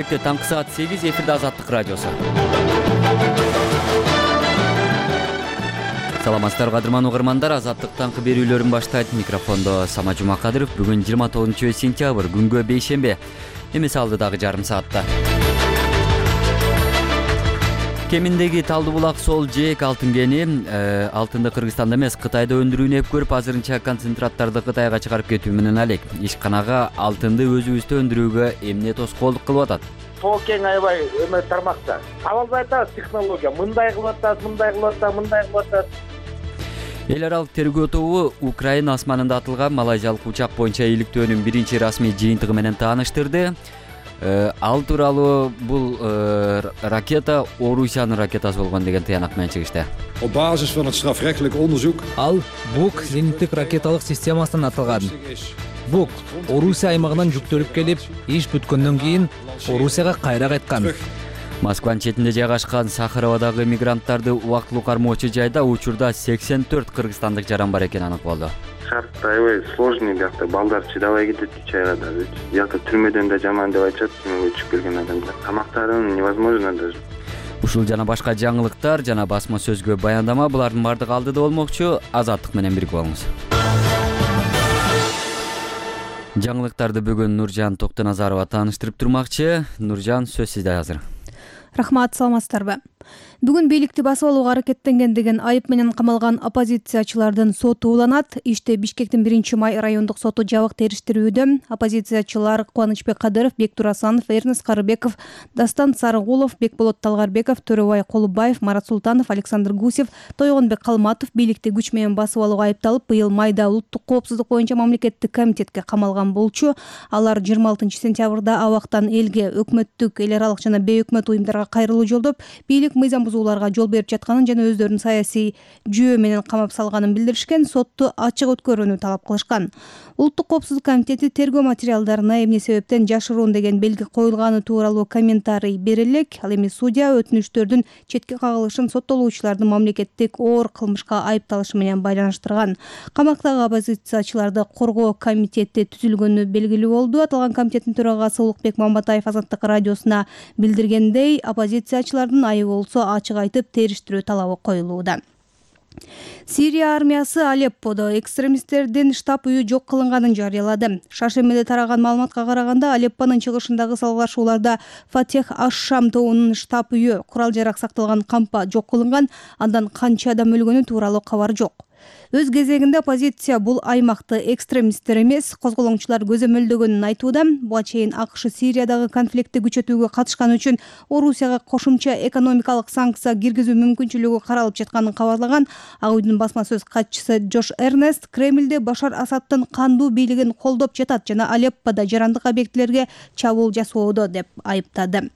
керекте, таңкы саат 8, эфирде Азаттык радиосу. Саламатсыздар кадырман угармандар, Азаттык таңкы берүүлөрүн баштайт. Микрофондо Сама Жумакадыров. Бүгүн 29-сентябрь, күнгө бейшембе. Эмес алдыдагы жарым саатта. Кеминдеги Талды булак сол жээк алтын кени алтынды Кыргызстанда эмес, Кытайда өндүрүүнү көрүп, азырынча концентраттарды Кытайга чыгарып кетүү менен алек. Ишканага алтынды өзүбүздө өндүрүүгө эмне тоскоолдук кылып атат? Сол кең аябай эме тармакта. Абалбай атабыз технология. Мындай кылып атат. Эл аралык тергөө тобу Украина асманында атылган малайзиялык учак боюнча иликтөөнүн биринчи расмий жыйынтыгы менен тааныштырды. Ал тууралуу бул ракета Орусиянын ракетасы болгон деген тыянак менен чыгышты. Op basis van het strafrechtelijk onderzoek. Ал БУК зениттик ракеталык системасынан атылган. БУК Орусия аймагынан жүктөлүп келип, иш бүткөндөн кийин Орусияга кайра кайткан. Москванын четинде жайгашкан Сахаровадагы мигранттарды убактылуу кармоочу жайда учурда 84 кыргызстандык жаран бар экени анык болду. Шарт аябай сложный, биякта балдар чыдабай кетет чайга да. Биякта түрмөдөн да жаман деп айтышат, түрмөгө түшүп келген адамдар. Тамактарын невозможно даже. Ушул жана башка жаңылыктар жана басма сөзгө баяндама, булардын бардыгы алдыда болмокчу. Азаттык менен бирге болуңуз. Жаңылыктарды бүгүн Нуржан Токтоназарова тааныштырып турмакчы. Нуржан, сөз сизде азыр. Рахмат, саламатсыздарбы? Бүгүн бийликти басып алууга аракеттенген деген айып менен камалган оппозициячылардын соту уланат. Иште Бишкектин 1-май райондук соту жабык териштирүүдө. Оппозициячылар Кубанычбек Кадыров, Бектур Асанов, Эрнест Карыбеков, Дастан Сарыгулов, Бекболот Талгарбеков, Төрөбай Колубаев, Марат Султанов, Александр Гусев, Тойгонбек Калматов бийликти күч менен басып алууга айыпталып, быйыл майда улуттук коопсуздук боюнча мамлекеттик комитетке камалган болчу. Алар 26-сентябрда абактан элге, өкмөттүк, эл аралык жана бейөкмөт уюмдарга кайрылуу жолдоп, бийлик мыйзам бузууларга жол берип жатканын жана өздөрүн саясий жүйө менен камап салганын билдиришкен, сотту ачык өткөрүүнү талап кылышкан. Улуттук коопсуздук комитети тергөө материалдарына эмне себептен жашыруун деген белги коюлганы тууралуу комментарий бере элек. Ал эми судья өтүнүчтөрдүн четке кагылышын соттолуучулардын мамлекеттик оор кылмышка айыпталышы менен байланыштырган. Камактагы оппозициячыларды коргоо комитети түзүлгөнү белгилүү болду. Аталган комитеттин төрагасы Улукбек Маматаев Азаттык радиосуна билдиргендей, оппозициячылардын айыбы болсо ачык айтып териштирүү талабы коюлууда. Сирия армиясы Алепподо экстремисттердин штаб үйү жок кылынганын жарыялады. Шаршембиде тараган маалыматка караганда, Алеппонун чыгышындагы салгылашууларда Фатех аш-Шам тобунун штаб үйү, курал-жарак сакталган кампа жок кылынган, андан канча адам өлгөнү тууралуу кабар жок. Өз кезегинде оппозиция бул аймакты экстремисттер эмес, козголоңчулар көзөмөлдөгөнүн айтууда. Буга чейин АКШ Сириядагы конфликтти күчөтүүгө катышканы үчүн Орусияга кошумча экономикалык санкция киргизүү мүмкүнчүлүгү каралып жатканын кабарлаган. Ак үйдүн басма сөз катчысы Джош Эрнест Кремлде Башар Асадтын кандуу бийлигин колдоп жатат жана Алепподо жарандык объектилерге чабуул жасоодо деп айыптады.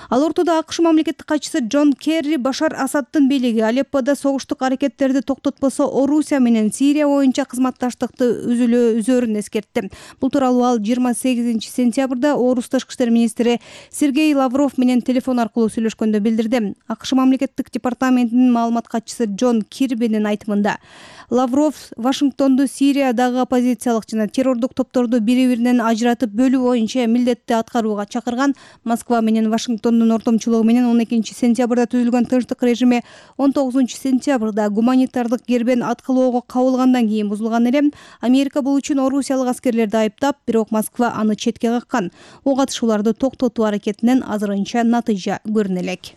Ал ортодо АКШ мамлекеттик катчысы Джон Керри Башар Асадтын бийлиги Алепподо согуштук аракеттерди токтотпосо Орусия менен Сирия боюнча кызматташтыкты үзөрүн эскертти. Бул тууралуу ал 28-сентябрда Орус тышкы иштер министри Сергей Лавров менен телефон аркылуу сүйлөшкөндө билдирди. АКШ мамлекеттик департаментинин маалымат катчысы Джон Кирбинин айтымында, Лавров Вашингтонду Сириядагы оппозициялык жана террордук топторду бири-биринен ажыратып бөлүү боюнча милдетти аткарууга чакырган. Москва менен Вашингтондун ортомчулугу менен 12-сентябрда түзүлгөн тынчтык режими 19-сентябрда гуманитардык кербен аткылоого кабылгандан кийин бузулган эле. Америка бул үчүн орусиялык аскерлерди айыптап, бирок Москва аны четке каккан. Ок атышууларды токтотуу аракетинен азырынча натыйжа көрүнө элек.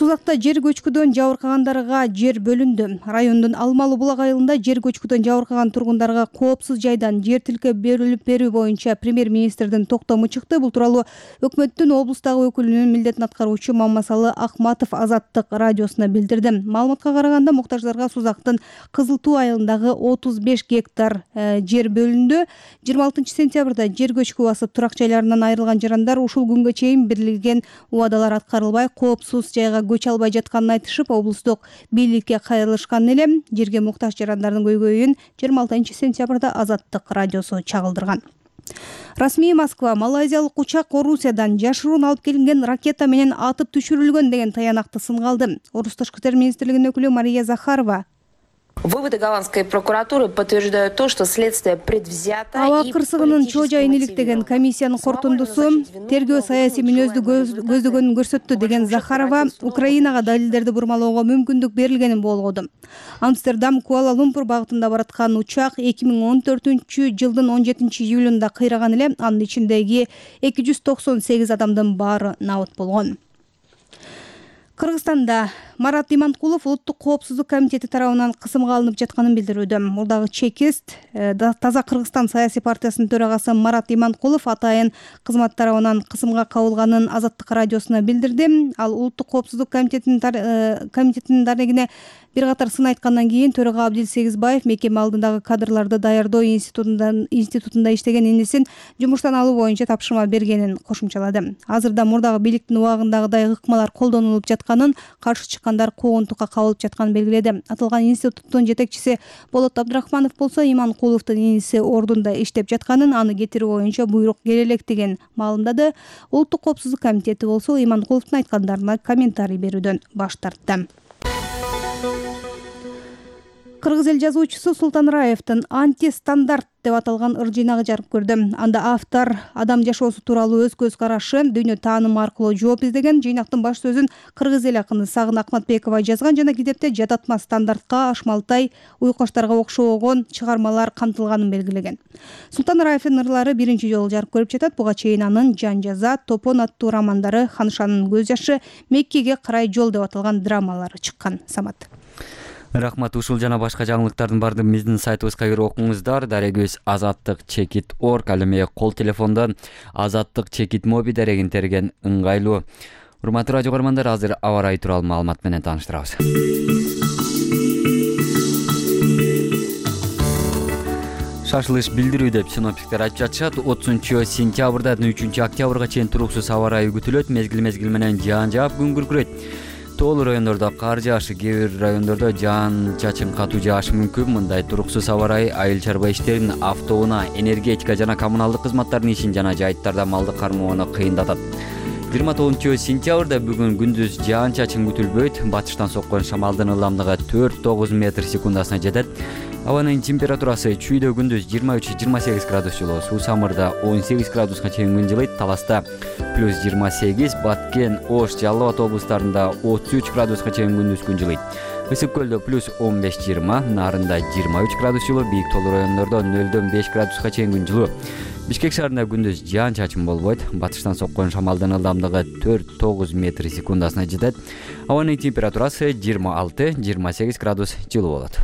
Сузакта жер көчкүдөн жабыркагандарга жер бөлүндү. Райондун Алмалы булак айылында жер көчкүдөн жабыркаган тургундарга коопсуз жайдан жер тилке берилип берүү боюнча премьер-министрдин токтому чыкты. Бул тууралуу өкмөттүн облустагы өкүлүнүн милдетин аткаруучу Маммасалы Акматов Азаттык радиосуна билдирди. Маалыматка караганда, муктаждарга Сузактын Кызыл Туу айылындагы 35 гектар жер бөлүндү. 26-сентябрда жер көчкү басып турак жайларынан айрылган жарандар ушул күнгө чейин берилген убадалар аткарылбай, коопсуз жайга көчө албай жатканын айтышып, облустук бийликке кайрылышкан эле. Жерге муктаж жарандардын көйгөйүн 26-сентябрда Азаттык радиосу чагылдырган. Расмий Москва малайзиялык учак Орусиядан жашыруун алып келинген ракета менен атып түшүрүлгөн деген таянакты сынга алды. Орус тышкы иштер министрлигинин өкүлү Мария Захарова Выводы голландской прокуратуры подтверждают то, что следствие предвзято. Аба кырсыгынын чоо жайын иликтеген комиссиянын корутундусу тергөө саясий мүнөздү көздөгөнүн көрсөттү деген Захарова Украинага далилдерди бурмалоого мүмкүндүк берилгенин болгоду. Амстердам Куала-Лумпур багытында бараткан учак 2014-жылдын 17-июлунда кыйраган эле, анын ичиндеги 298 адамдын баары набыт болгон. Кыргызстанда Марат Иманкулов Улуттук коопсуздук комитети тарабынан кысымга алынып жатканын билдирүүдө. Мурдагы чекист Таза Кыргызстан саясий партиясынын төрагасы Марат Иманкулов атайын кызмат тарабынан кысымга кабылганын Азаттык радиосуна билдирди. Ал Улуттук коопсуздук комитетинин дарегине бир катар сын айткандан кийин төрага Абдил Сегизбаев мекеме алдындагы кадрларды даярдоо институтунда иштеген инисин жумуштан алуу боюнча тапшырма бергенин кошумчалады. Азырда мурдагы бийликтин убагындагыдай ыкмалар колдонулуп жатканын, каршы чыккандар куугунтукка кабылып жатканын белгиледи. Аталган институттун жетекчиси Болот Абдрахманов болсо Иманкуловдун иниси ордунда иштеп жатканын, аны кетирүү боюнча буйрук келе электигин маалымдады. Улуттук коопсуздук комитети болсо Иманкуловдун айткандарына комментарий берүүдөн баш тартты. Кыргыз эл жазуучусу Султан Раевдин «Антистандарт» деп аталган ыр жыйнагы жарык көрдү. Анда автор адам жашоосу тууралуу өз көз карашы, дүйнө таанымы аркылуу жооп издеген. Жыйнактын баш сөзүн кыргыз эл акыны Сагын Акматбекова жазган жана китепте жататма стандартка, Ашмалтай, Уйкоштарга окшогон чыгармалар камтылганын белгилеген. Султан Раевдин ырлары биринчи жолу жарык көрүп жатат. Буга чейин анын Жан жаза, Топон аттуу романдары, Ханшанын көз жашы, Меккеге карай жол деп аталган драмалары чыккан. Самат. Рахмат. Ушул жана башка жаңылыктардын баардыгын биздин сайтыбызга кирип окуңуздар. Дарегибиз azattik.org, ал эми кол телефондон Azattik моби дарегин терген ыңгайлуу. Урматтуу радио көрөрмандар, азыр аба ырайы тууралуу маалымат менен тааныштырабыз. Шашылыш билдирүү деп синоптиктер айтып жатышат. 30-сентябрдан 3-октябрга чейин туруксуз аба ырайы күтүлөт. Мезгил менен жаан жаап күн күркүрөйт. Тоолуу райондордо кар жаашы, кээ бир райондордо жаан чачын катуу жаашы мүмкүн. Мындай туруксуз аба ырайы айыл чарба иштерин, автоунаа, энергетика жана коммуналдык кызматтардын ишин жана жайыттарда малды кармоону кыйындатат. 29-сентябрда бүгүн күндүз жаан чачын күтүлбөйт. Батыштан соккон шамалдын ылдамдыгы 4-9 метр секундасына жетет. Абанын температурасы чүйдө күндүз 23-28 градус жылуу, Суусамырда 18 градуска чейин күн жылыйт, Таласта +28, Баткен, Ош, Жалал Абад облустарында 33 градуска чейин күндүз күн жылыйт. Ысык көлдө +15-20, Нарында 23 градус жылуу, бийик тоолуу райондордо 0-5 градуска чейин күн жылуу. Бишкек шаарында күндүз жаан чачын болбойт. Батыштан соккон шамалдын ылдамдыгы 4-9 метр секундасына жетет. Абанын температурасы 26-28 градус жылуу болот.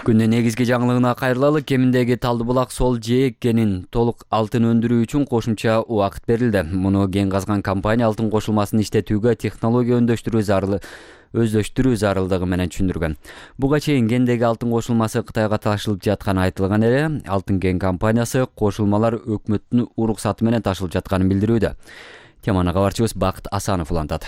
Күндүн негизги жаңылыгына кайрылалы. Кеминдеги Талдыбулак сол жээк кенин толук алтын өндүрүү үчүн кошумча убакыт берилди. Муну кен казган компания алтын кошулмасын иштетүүгө технология өздөштүрүү зарылдыгы менен түшүндүргөн. Буга чейин кендеги алтын кошулмасы Кытайга ташылып жатканы айтылган эле. Алтын кен компаниясы кошулмалар өкмөттүн уруксаты менен ташылып жатканын билдирүүдө. Теманы кабарчыбыз Бакыт Асанов улантат.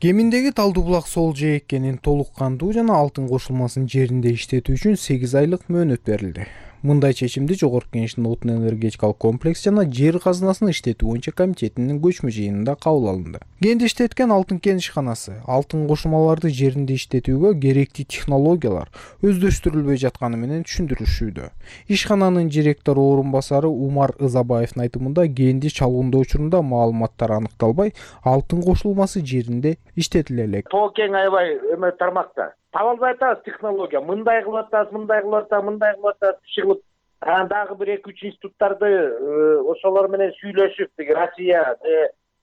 Кеминдеги Талдыбулак сол жээк кенин толук кандуу жана алтын кошулмасын жеринде иштетүү үчүн 8 айлык мөөнөт берилди. Мындай чечимди Жогорку Кеңештин отун энергетикалык комплекс жана жер казынасын иштетүү боюнча комитетинин көчмө жыйынында кабыл алынды. Кенди иштеткен алтын кен ишканасы алтын кошулмаларды жеринде иштетүүгө керектүү технологиялар өздөштүрүлбөй жатканы менен түшүндүрүшүүдө. Ишкананын директор орун басары Умар Ызабаевдин айтымында кенди чалгындоо учурунда маалыматтар аныкталбай, алтын кошулмасы жеринде иштетиле элек. Тоо кен аябай тармакта. Таба албай атабыз технология. Мындай кылып атабыз, чыгып. Дагы бир 2-3 институттарды ошолор менен сүйлөшүп, Россия,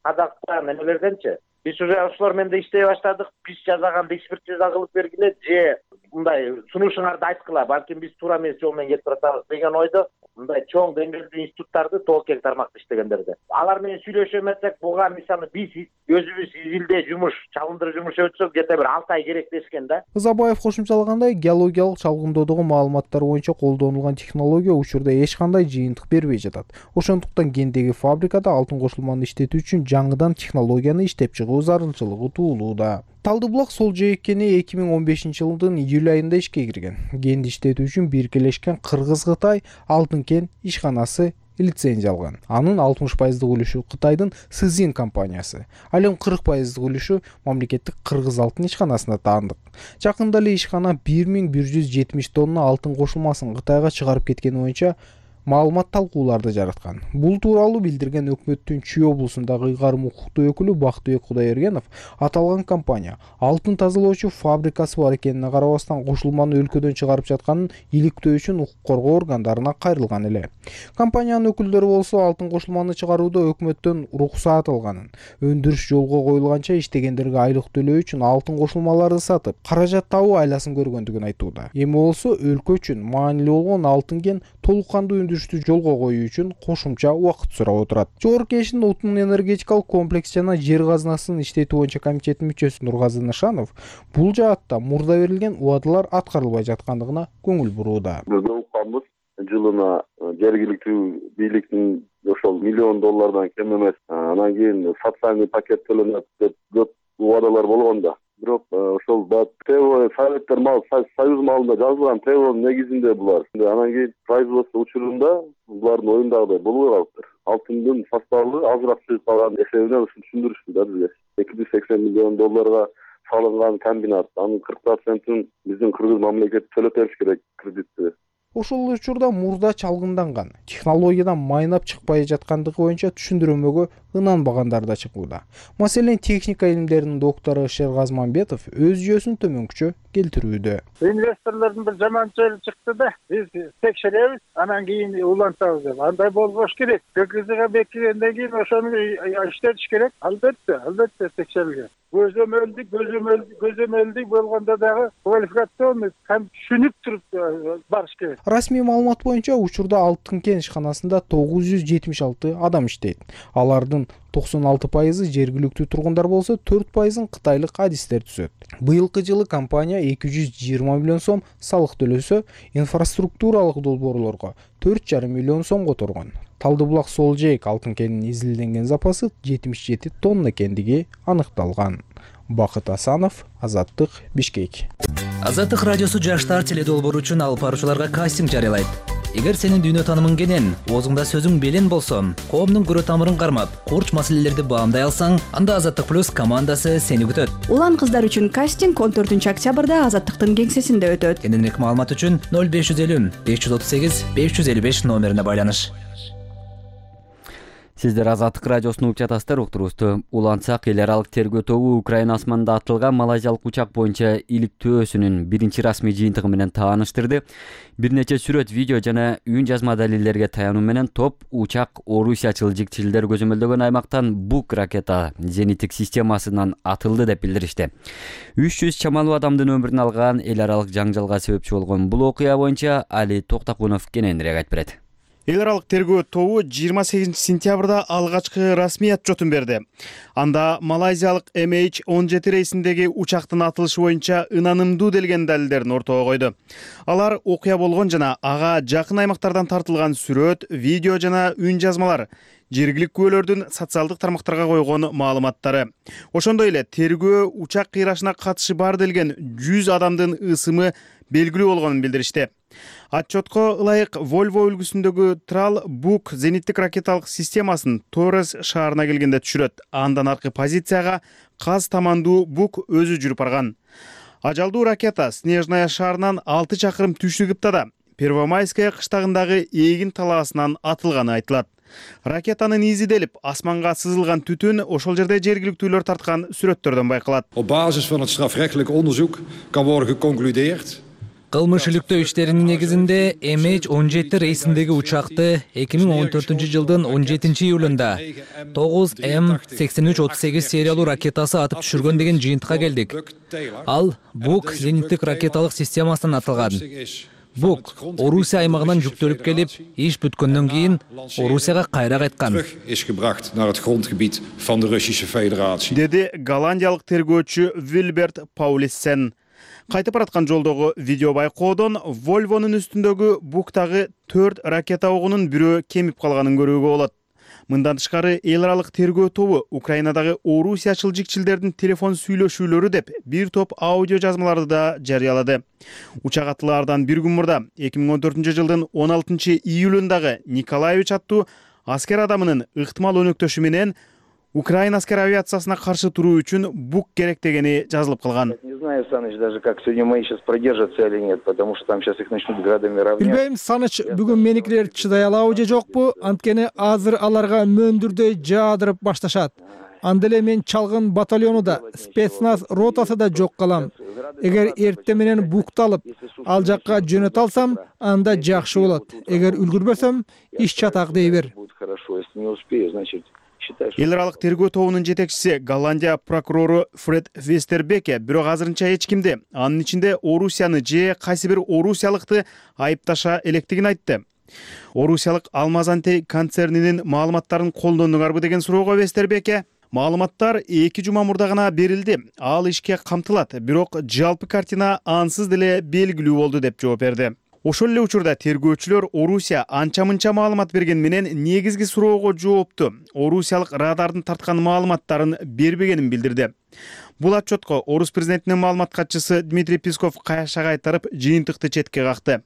Казакстан эмелерденчи. Биз уже ошолор менен иштей баштадык. Биз жазаганды экспертиза кылып бергиле, же мындай сунушуңарды айткыла, балким биз туура эмес жол менен кетип атабыз деген ойдо. Мындай чоң деңгээлдүү институттарды тоо кен тармакта иштегендерди. Алар менен сүйлөшө эмесек, буга мисалы биз өзүбүз изилдөө жумуш, чалгындыруу жумуш өтсөк, где-то бир 6 ай керек дешкен да. Ызабаев кошумчалагандай, геологиялык чалгындоодогу маалыматтар боюнча колдонулган технология учурда эч кандай жыйынтык бербей жатат. Ошондуктан кендеги фабрикада алтын кошулманы иштетүү үчүн жаңыдан технологияны иштеп чыгуу зарылчылыгы туулууда. Талдыбулак сол жээк кени 2015-жылдын июль айында ишке кирген. Кенди иштетүү үчүн биргелешкен Кыргыз-Кытай алтын кен ишканасы лицензия алган. Анын 60% үлүшү Кытайдын Сызин компаниясы. Ал эми 40% үлүшү мамлекеттик Кыргыз алтын ишканасына таандык. Жакында эле ишкана 1170 тонна алтын кошулмасын Кытайга чыгарып кеткени боюнча маалымат талкууларды жараткан. Бул тууралуу билдирген өкмөттүн Чүй облусундагы ыйгарым укуктуу өкүлү Бактыбек Кудайбергенов аталган компания алтын тазалоочу фабрикасы бар экенине карабастан кошулманы өлкөдөн чыгарып жатканын иликтөө үчүн укук коргоо органдарына кайрылган эле. Компаниянын өкүлдөрү болсо алтын кошулманы чыгарууда өкмөттөн уруксаат алганын, өндүрүш жолго коюлганча иштегендерге айлык төлөө үчүн алтын кошулмаларды сатып, каражат табуу айласын көргөндүгүн айтууда. Эми болсо өлкө үчүн маанилүү болгон алтын кен толук кандуу өндүрүштү жолго коюу үчүн кошумча убакыт сурап отурат. Жогорку Кеңештин отун энергетикалык комплекс жана жер казынасын иштетүү боюнча комитетинин мүчөсү Нургазы Нышанов бул жаатта мурда берилген убадалар аткарылбай жаткандыгына көңүл бурууда. Биз укканбыз, жылына жергиликтүү бийликтин ошол $1 миллион кем эмес, анан кийин социальный пакет төлөнөт деп көп убадалар болгон да. Бирок ошол советтер союз малында жазылган ТВОнун негизинде булар. Анан кийин производство учурунда булардын оюндагыдай болбой калыптыр. Алтындын составы азыраак чыгып калган эсебинен ушун түшүндүрүштү да бизге. $280 миллион салынган комбинат, анын 40%-ын биздин Кыргыз мамлекети төлөп бериш керек кредитти. Ошол учурда мурда чалгынданган, технологиядан майнап чыкпай жаткандыгы боюнча түшүндүрмөгө ынанбагандар да чыгууда. Маселен, техника илимдеринин доктору Шергаз Мамбетов өз жүйөсүн төмөнкүчө келтирүүдө. Инвесторлордун бир жаманчылыгы чыкты да, биз текшеребиз, анан кийин улантабыз деп. Андай болбош керек. ККЗга бекигенден кийин ошону иштетиш керек. Албетте текшерилген. Көзөмөлдүк болгондо дагы квалификационный түшүнүп туруп барыш керек. Расмий маалымат боюнча учурда алтын кен ишканасында 976 адам иштейт. Алардын 96% жергиликтүү тургундар болсо, 4%-ын кытайлык адистер түзөт. Быйылкы жылы компания 220 миллион сом салык төлөсө, инфраструктуралык долбоорлорго 4,5 миллион сом которгон. Талдыбулак Солжейк алтын кенинин изилденген запасы 77 тонна экендиги аныкталган. Бакыт Асанов, Азаттык, Бишкек. Азаттык радиосу жаштар теледолбоору үчүн алып баруучуларга кастинг жарыялайт. Эгер сенин дүйнө таанымың кенен, оозуңда сөзүң белен болсо, коомдун көрө тамырын кармап, курч маселелерди баамдай алсаң, анда Азаттык плюс командасы сени күтөт. Улан кыздар үчүн кастинг 14-октябрда Азаттыктын кеңсесинде өтөт. Кененирээк маалымат үчүн 0550 538 555 номерине байланыш. Сиздер Азаттык радиосун угуп жатасыздар. Уктурубузду улантсак, эл аралык тергөө тобу Украина асманында атылган малайзиялык учак боюнча иликтөөсүнүн биринчи расмий жыйынтыгы менен тааныштырды. Бир нече сүрөт, видео жана үн жазма далилдерге таянуу менен топ учак орусиячыл жигчилдер көзөмөлдөгөн аймактан Бук ракета зениттик системасынан атылды деп билдиришти. 300 чамалуу адамдын өмүрүн алган эл аралык жаңжалга себепчи болгон бул окуя боюнча Али Токтакунов кененирээк айтып берет. Эл аралык тергөө тобу 28 сентябрда алгачкы расмий отчетун берди. Анда малайзиялык MH17 рейсиндеги учактын атылышы боюнча ынанымдуу делген далилдерин ортого койду. Алар окуя болгон жана ага жакын аймактардан тартылган сүрөт, видео жана үн жазмалар, жергиликтүү күбөлөрдүн социалдык тармактарга койгон маалыматтары. Ошондой эле тергөө учак кыйрашына катышы бар делген 100 адамдын ысымы белгилүү болгонун билдиришти. Отчетко ылайык Volvo үлгүсүндөгү Трал Бук зениттик ракеталык системасын Торрес шаарына келгенде түшүрөт. Андан аркы позицияга Каз тамандуу Бук өзү жүрүп барган. Ажалдуу ракета Снежная шаарынан 6 чакырым түштүгүптада Первомайская кыштагындагы эгин талаасынан атылганы айтылат. Ракетанын изи делип, асманга сызылган түтүн ошол жерде жергиликтүүлөр тарткан сүрөттөрдөн байкалат. Op basis van het strafrechtelijk onderzoek kan worden geconcludeerd. Кылмыш иликтөө иштеринин негизинде MH17 рейсиндеги учакты 2014 жылдын 17 июлунда 9M8338 сериялуу ракетасы атып түшүргөн деген жыйынтыкка келдик. Ал Бук зениттик ракеталык системасынан атылган. Бук Орусия аймагынан жүктөлүп келип, иш бүткөндөн кийин Орусияга кайра кайткан. Is gebracht naar het grondgebied van de Russische Federatie. Деди голландиялык тергөөчү Вильберт Паулиссен. Кайтып бараткан жолдогу видео байкоодон Volvo'нун үстүндөгү Буктагы 4 ракета огунун бирөө кемип калганын көрүүгө болот. Мындан тышкары эл аралык тергөө тобу Украинадагы орусиячыл жикчилдердин телефон сүйлөшүүлөрү деп бир топ аудио жазмаларды да жарыялады. Учак атылаардан бир күн мурда 2014-жылдын 16-июлундагы Николаевич аттуу аскер адамынын ыктымал өнөктөшү менен Украина аскер авиациясына каршы туруу үчүн бук керек дегени жазылып калган. Не знаю, Саныч, даже как сегодня мои сейчас продержатся или нет, потому что там сейчас их начнут градами равнять. Билбейм, Саныч, бүгүн меникилер чыдай алабы же жокпу? Анткени азыр аларга мөндүрдөй жаадырып башташат. Анда эле мен чалгын батальону да, спецназ ротасы да жок калам. Эгер эртең менен букталып, ал жакка жөнөтө алсам, анда жакшы болот. Эгер үлгүрбөсөм, иш чатак дей бер. Хорошо, если не успею, значит... Эл аралык тергөө тобунун жетекчиси Голландия прокурору Фред Вестербеке бирок азырынча эч кимди, анын ичинде Орусияны же кайсы бир орусиялыкты айыпташа электигин айтты. Орусиялык Алмазантей концернинин маалыматтарын колдондуңарбы деген суроого Вестербеке маалыматтар 2 жума мурда гана берилди. Ал ишке камтылат, бирок жалпы картина ансыз деле белгилүү болду деп жооп берди. Ошол эле учурда тергөөчүлөр Орусия анча-мынча маалымат берген менен негизги суроого жоопту орусиялык радардын тарткан маалыматтарын бербегенин билдирди. Бул отчетко Орус президентинин маалымат катчысы Дмитрий Песков каяша кайтарып, жыйынтыкты четке какты.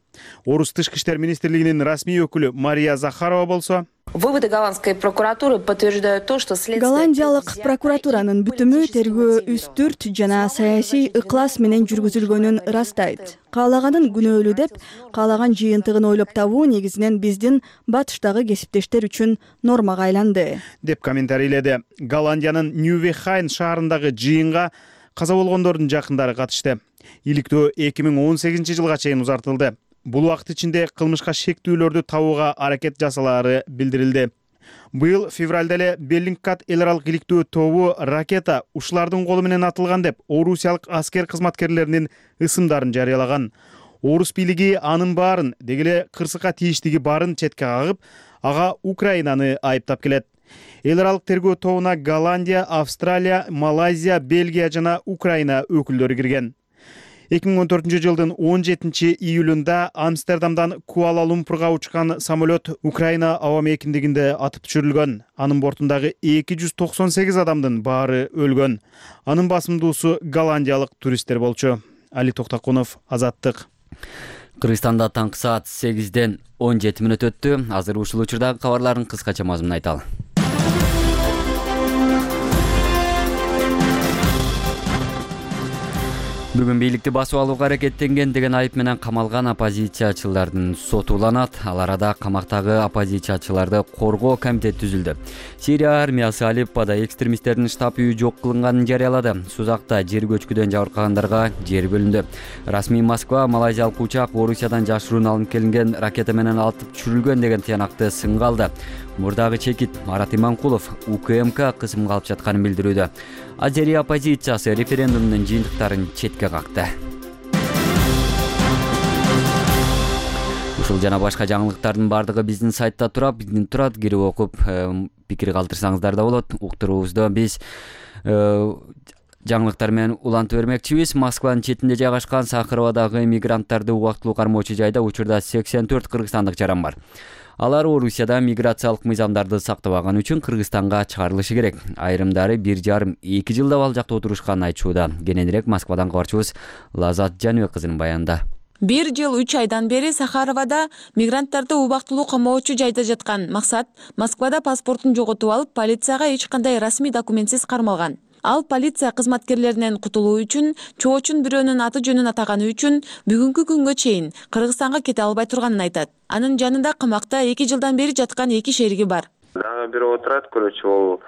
Орус тышкы иштер министрлигинин расмий өкүлү Мария Захарова болсо, Выводы голландской прокуратуры подтверждают то, что следствие... Голландиялык прокуратуранын бүтүмү тергөө үстүрт жана саясий ыклас менен жүргүзүлгөнүн ырастайт. Каалаганын күнөөлүү деп, каалаган жыйынтыгын ойлоп табуу негизинен биздин батыштагы кесиптештер үчүн нормага айланды. Деп комментарийледи. Голландиянын Ньювехайн шаарындагы жыйынга каза болгондордун жакындары катышты. Иликтөө 2018-жылга чейин узартылды. Бул убакыт ичинде кылмышка шектүүлөрдү табууга аракет жасалаары билдирилди. Быйыл февралда эле Беллингкат эл аралык иликтөө тобу ракета ушулардын колу менен атылган деп орусиялык аскер кызматкерлеринин ысымдарын жарыялаган. Орус бийлиги анын баарын, деги эле кырсыкка тийиштиги баарын четке кагып, ага Украинаны айыптап келет. Эл аралык тергөө тобуна Голландия, Австралия, Малайзия, Бельгия жана Украина өкүлдөрү кирген. 2014-жылдын 17-июлунда Амстердамдан Куала-Лумпурга учкан самолет Украина аба мейкиндигинде атып түшүрүлгөн. Анын бортундагы 298 адамдын баары өлгөн. Анын басымдуусу голландиялык туристтер болчу. Али Токтакунов, Азаттык. Кыргызстанда таңкы саат 8-ден 17 мүнөт өттү. Азыр ушул учурдагы кабарлардын кыскача мазмунун айталы. Бүгүн бийликти басып алууга аракеттенген деген айып менен камалган оппозициячылардын соту уланат. Ал арада камактагы оппозициячыларды коргоо комитети түзүлдү. Сирия армиясы Алеппода экстремисттердин штаб үйү жок кылынганын жарыялады. Сузакта жер көчкүдөн жабыркагандарга жер бөлүндү. Расмий Москва малайзиялык учак Орусиядан жашыруун алынып келинген ракета менен атып түшүрүлгөн деген тыянакты сынга алды. Мурдагы чекит Марат Иманкулов УКМК кысымга алып жатканын билдирүүдө. Азерия оппозициясы референдумдун жыйынтыктарын четке какты. Ушул жана башка жаңылыктардын бардыгы биздин сайтта турат, кирип окуп пикир калтырсаңыздар да болот. Уктуруубузда биз жаңылыктар менен улантып бермекчибиз. Москванын четинде жайгашкан Сахаровадагы мигранттарды убактылуу кармоочу жайда учурда 84 кыргызстандык жаран бар. Алар Орусияда миграциялык мыйзамдарды сактабаган үчүн Кыргызстанга чыгарылышы керек. Айрымдары 1,5-2 жылда ал жакта отурушканын айтышууда. Кененирээк Москвадан кабарчыбыз Лазат Жаныбек кызынын баянында. 1 жыл 3 айдан бери Сахаровада мигранттарды убактылуу камоочу жайда жаткан. Максат Москвада паспортун жоготуп алып, полицияга эч кандай расмий документсиз кармалган. Ал полиция кызматкерлеринен кутулуу үчүн, чоочун бирөөнүн аты жөнүн атаганы үчүн бүгүнкү күнгө чейин Кыргызстанга кете албай турганын айтат. Анын жанында камакта 2 жылдан бери жаткан 2 шериги бар. Дагы бирөө отурат, көрөчү, ол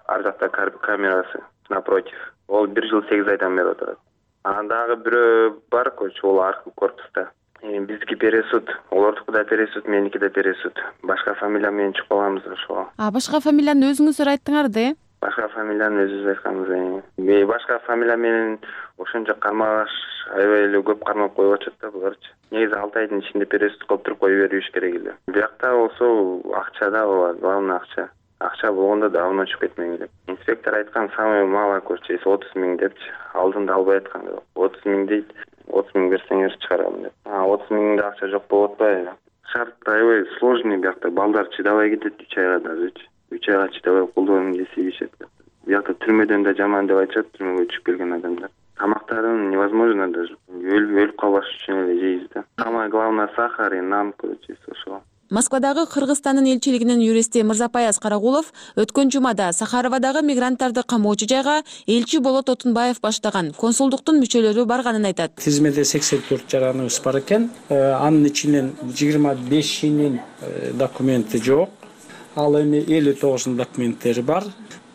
ар жакта камерасы напротив. Ол 1 жыл 8 айдан бери отурат. Анан дагы бирөө бар, көрөчү, ол аркы корпуста. Биздики пересуд, олордуку да пересуд, меники да пересуд. Башка фамилия менен чыгып каламыз ошого. Башка фамилияны өзүңүздөр айттыңар да? Башка фамилияны өзүбүз айтканбыз. Башка фамилия менен ошончо кармалаш аябай эле көп кармап коюп атышат да буларчы. Негизи 6 айдын ичинде пересуд кылып туруп кое бериш керек эле. Биякта болсо акча да болот, главный акча. Акча болгондо давно чыгып кетмең эле. Инспектор айткан самый мало көрчү 30 000 депчи. Алдында албай аткан. 30 000 дейт. 30 000 берсеңер чыгарам деп. 30 000 да акча жок болуп атпайбы? Шарт аябай сложный биякта. Балдар чыдабай кетет 3 айга дагычы. 3 айга чыдабай колдорун кесип ишет. Биякта түрмөдөн да жаман деп айтышат, түрмөгө түшүп келген адамдар. Тамактарын невозможно даже. Өлүп калбаш үчүн эле жейбиз да. Самое главное сахар и нан, короче, ошо. Москвадагы Кыргызстандын элчилигинин юристи Мырзапаяз Карагулов өткөн жумада Сахаровадагы мигранттарды камоочу жайга элчи Болот Отунбаев баштаган консулдуктун мүчөлөрү барганын айтат. Тизмеде 84 жараныбыз бар экен. Анын ичинен 25-инин документи жок. Ал эми 59-ун документтери бар.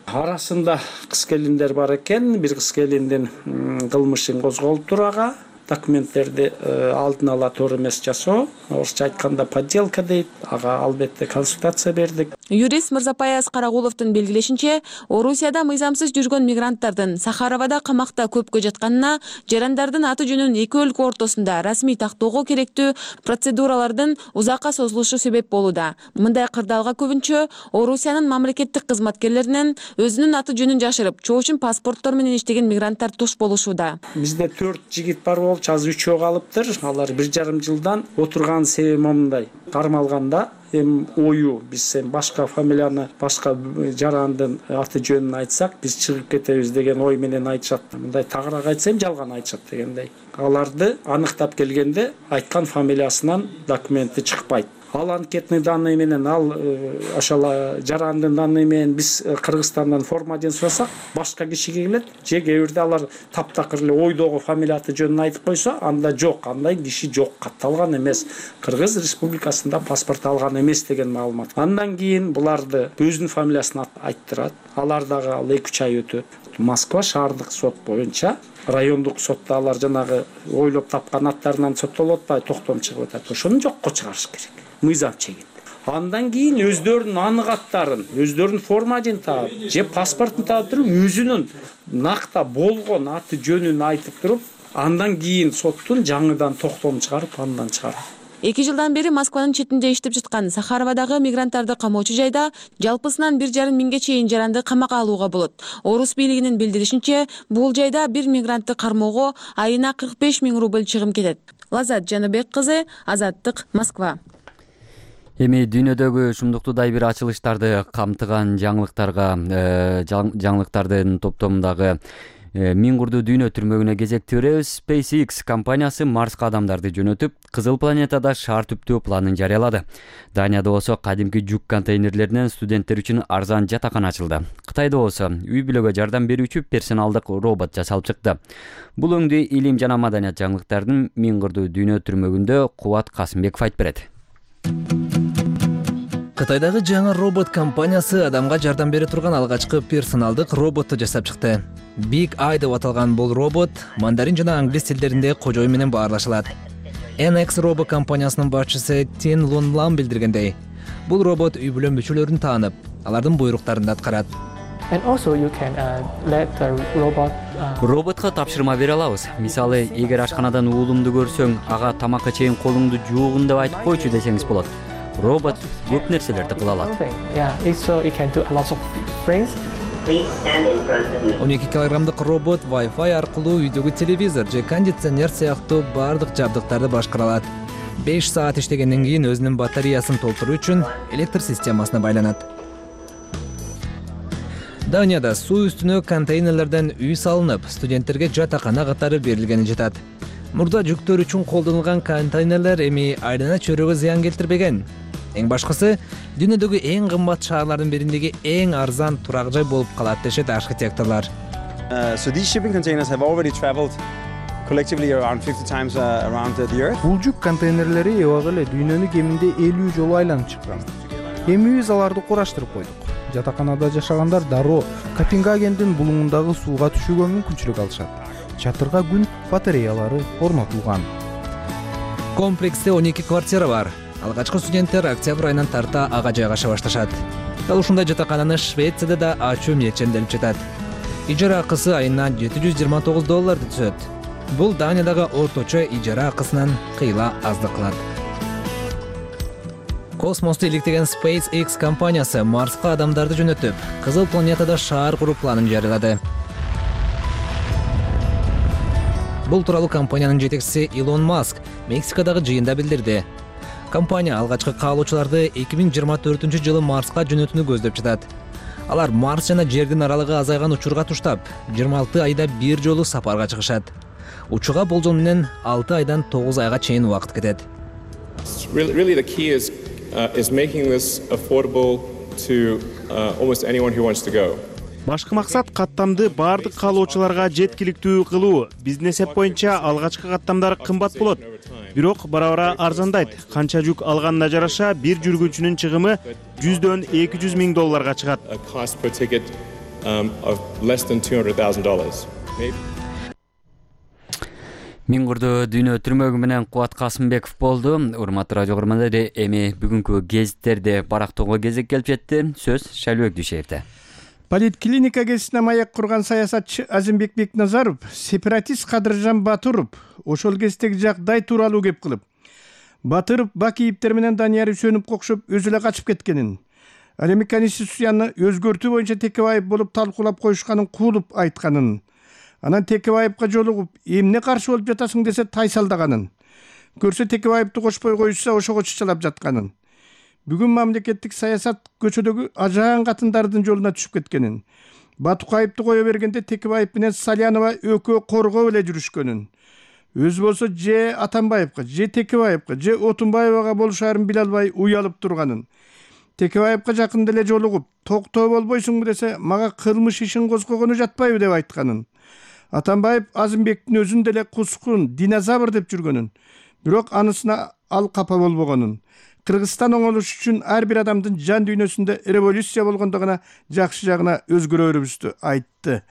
Арасында кыз келиндер бар экен. Бир кыз келиндин кылмышын козголуптур ага. Документтерди алдын ала туура эмес жасоо, орусча айтканда подделка дейт. Ага албетте консультация бердик. Юрист Мырзапаяз Карагуловдун белгилешинче, Орусияда мыйзамсыз жүргөн мигранттардын Сахаровада камакта көпкө жатканына жарандардын аты жөнүн эки өлкө ортосунда расмий тактоого керектүү процедуралардын узакка созулушу себеп болууда. Мындай кырдаалга көбүнчө Орусиянын мамлекеттик кызматкерлеринен өзүнүн аты жөнүн жашырып, чоочун паспорттор менен иштеген мигранттар туш болушууда. Бизде 4 жигит бар болчу, азыр 3 калыптыр. Алар 1,5 жылдан отурган себеби момундай. Кармалганда ою биз башка фамилияны, башка жарандын аты жөнүн айтсак, биз чыгып кетебиз деген ой менен айтышат. Мындай тагыраак айтсам жалган айтышат дегендей. Аларды аныктап келгенде айткан фамилиясынан документи чыкпайт. Ал анкетный данные менен, ал ошол жарандын данные менен биз Кыргызстандан формаден сурасак, башка кишиге келет. Же кээ бирде алар таптакыр эле ойдогу фамилия аты жөнүн айтып койсо, анда жок, андай киши жок, катталган эмес. Кыргыз Республикасында паспорт алган эмес деген маалымат. Андан кийин буларды өзүнүн фамилиясын айттырат. Алар дагы 2-3 ай өтөт. Москва шаардык сот боюнча, райондук сотто алар жанагы ойлоп тапкан аттарынан соттолуп атпайбы, токтом чыгып атат. Ошону жокко чыгарыш керек. Мыйзам чегит. Андан кийин өздөрүнүн анык аттарын, өздөрүнүн формажин таап, же паспортун таап туруп, өзүнүн накта болгон аты жөнүн айтып туруп, андан кийин соттун жаңыдан токтом чыгарып, андан чыгарат. 2 жылдан бери Москванын четинде иштеп жаткан Сахаровадагы мигранттарды камоочу жайда жалпысынан 1,5 миңге чейин жаранды камакка алууга болот. Орус бийлигинин билдиришинче, бул жайда бир мигрантты кармоого айына 45 миң рубль чыгым кетет. Лазат Жаныбек кызы, Азаттык, Москва. Эми дүйнөдөгү ушундуктудай бир ачылыштарды камтыган жаңылыктардын топтомундагы Мингурду дүйнө түрмөгүнө кезекти беребиз. SpaceX компаниясы Марска адамдарды жөнөтүп, Кызыл планетада шаар түптөө планын жарыялады. Данияда болсо кадимки жүк контейнерлеринен студенттер үчүн арзан жатакана ачылды. Кытайда болсо үй бүлөгө жардам берүүчү персоналдык робот жасалып чыкты. Бул өңдү илим жана маданият жаңылыктардын Мингурду дүйнө түрмөгүндө Кубат Касымбеков айтып берет. Кытайдагы жаңы робот компаниясы адамга жардам бере турган алгачкы персоналдык роботту жасап чыкты. Big Eye деп аталган бул робот мандарин жана англис тилдеринде кожой менен баарлашылат. NX робот компаниясынын башчысы Тин Лунлам билдиргендей, бул робот үй бүлө мүчөлөрүн таанып, алардын буйруктарын аткарат. Роботко тапшырма бере алабыз. Мисалы, эгер ашканадан уулумду көрсөң, ага тамакка чейин колуңду жуугун деп айтып койчу десеңиз болот. Робот көп нерселерди кыла алат. 12 килограммдык робот Wi-Fi аркылуу үйдөгү телевизор же кондиционер сыяктуу бардык жабдыктарды башкара алат. 5 саат иштегенден кийин өзүнүн батареясын толтуруу үчүн электр системасына байланат. Данияда суу үстүнө контейнерлерден үй салынып, студенттерге жатакана катары берилгени жатат. Мурда жүктөр үчүн колдонулган контейнерлер эми айлана чөйрөгө зыян келтирбеген. Эң башкысы, дүйнөдөгү эң кымбат шаарлардын бириндеги эң арзан турак жай болуп калат дешет архитекторлор. So these shipping containers have already traveled collectively around 50 times around the earth. Бул жүк контейнерлери эбак эле дүйнөнү кеминде 50 жолу айланып чыккан. Эми биз аларды кураштырып койдук. Жатаканада жашагандар дароо Копенгагендин булуңундагы сууга түшүүгө мүмкүнчүлүк алышат. Чатырга күн батареялары орнотулган. Комплексте 12 квартира бар. Алгачкы студенттер октябрь айынан тарта ага жайгаша башташат. Дал ушундай жатакананы Швецияда да ачуу миетченделип жатат. Ижара акысы айына $729 түшөт. Бул Даниядагы орточо ижара акысынан кыйла аздык кылат. Космосту иликтеген SpaceX компаниясы Марска адамдарды жөнөтүп, Кызыл планетада шаар куруу планын жарыялады. Бул тууралуу компаниянын жетекчиси Илон Маск Мексикадагы жыйында билдирди. Компания алгачкы каалоочуларды 2024-жылы Марска жөнөтүүнү көздөп жатат. Алар Марс жана Жердин аралыгы азайган учурга туштап, 26 айда бир жолу сапарга чыгышат. Учууга болжол менен 6 айдан 9 айга чейин убакыт кетет. Really the key is making this affordable to almost anyone who wants to go. Башкы максат каттамды баардык каалоочуларга жеткиликтүү кылуу. Биздин эсеп боюнча алгачкы каттамдар кымбат болот. Бирок бара-бара арзандайт. Канча жүк алганына жараша бир жүргүнчүнүн чыгымы $100,000–200,000 чыгат. Cost per ticket of less than $200,000. Миңгурду дүйнө түрмөгү менен Кубат Касымбеков болду. Урматтуу радио көрөрмандар, эми бүгүнкү гезиттерди барактоого кезек келип жетти. Сөз Шайлыбек Дүйшеевде. Политклиника кезине маяк курган саясатчы Азимбек Бекназаров сепаратист Кадыржан Батыров ошол кездеги жакдай тууралуу кеп кылып, Батыров Бакиевдер менен Данияр Үсөнов окшоп өзү эле качып кеткенин, ал эми Конституцияны өзгөртүү боюнча Текебаев болуп талкуулап коюшканын куулуп айтканын, анан Текебаевга жолугуп эмне каршы болуп жатасың десе тайсалдаганын, көрсө Текебаевди кошпой коюшса ошого чычалап жатканын, бүгүн мамлекеттик саясат көчөдөгү ажаан катындардын жолуна түшүп кеткенин, Батукаевди кое бергенде Текебаев менен Салянова экөө коргоп эле жүрүшкөнүн, өзү болсо же Атамбаевга, же Текебаевга, же Отунбаевага болушаарын биле албай уялып турганын, Текебаевга жакында эле жолугуп токтоо болбойсуңбу десе мага кылмыш ишин козгогону жатпайбы деп айтканын, Атамбаев Азимбектин өзүн деле кускун, динозавр деп жүргөнүн, бирок анысына ал капа болбогонун, Кыргызстан оңолуш үчүн ар бир адамдын жан дүйнөсүндө революция болгондо гана жакшы жагына өзгөрөрүбүздү айтты.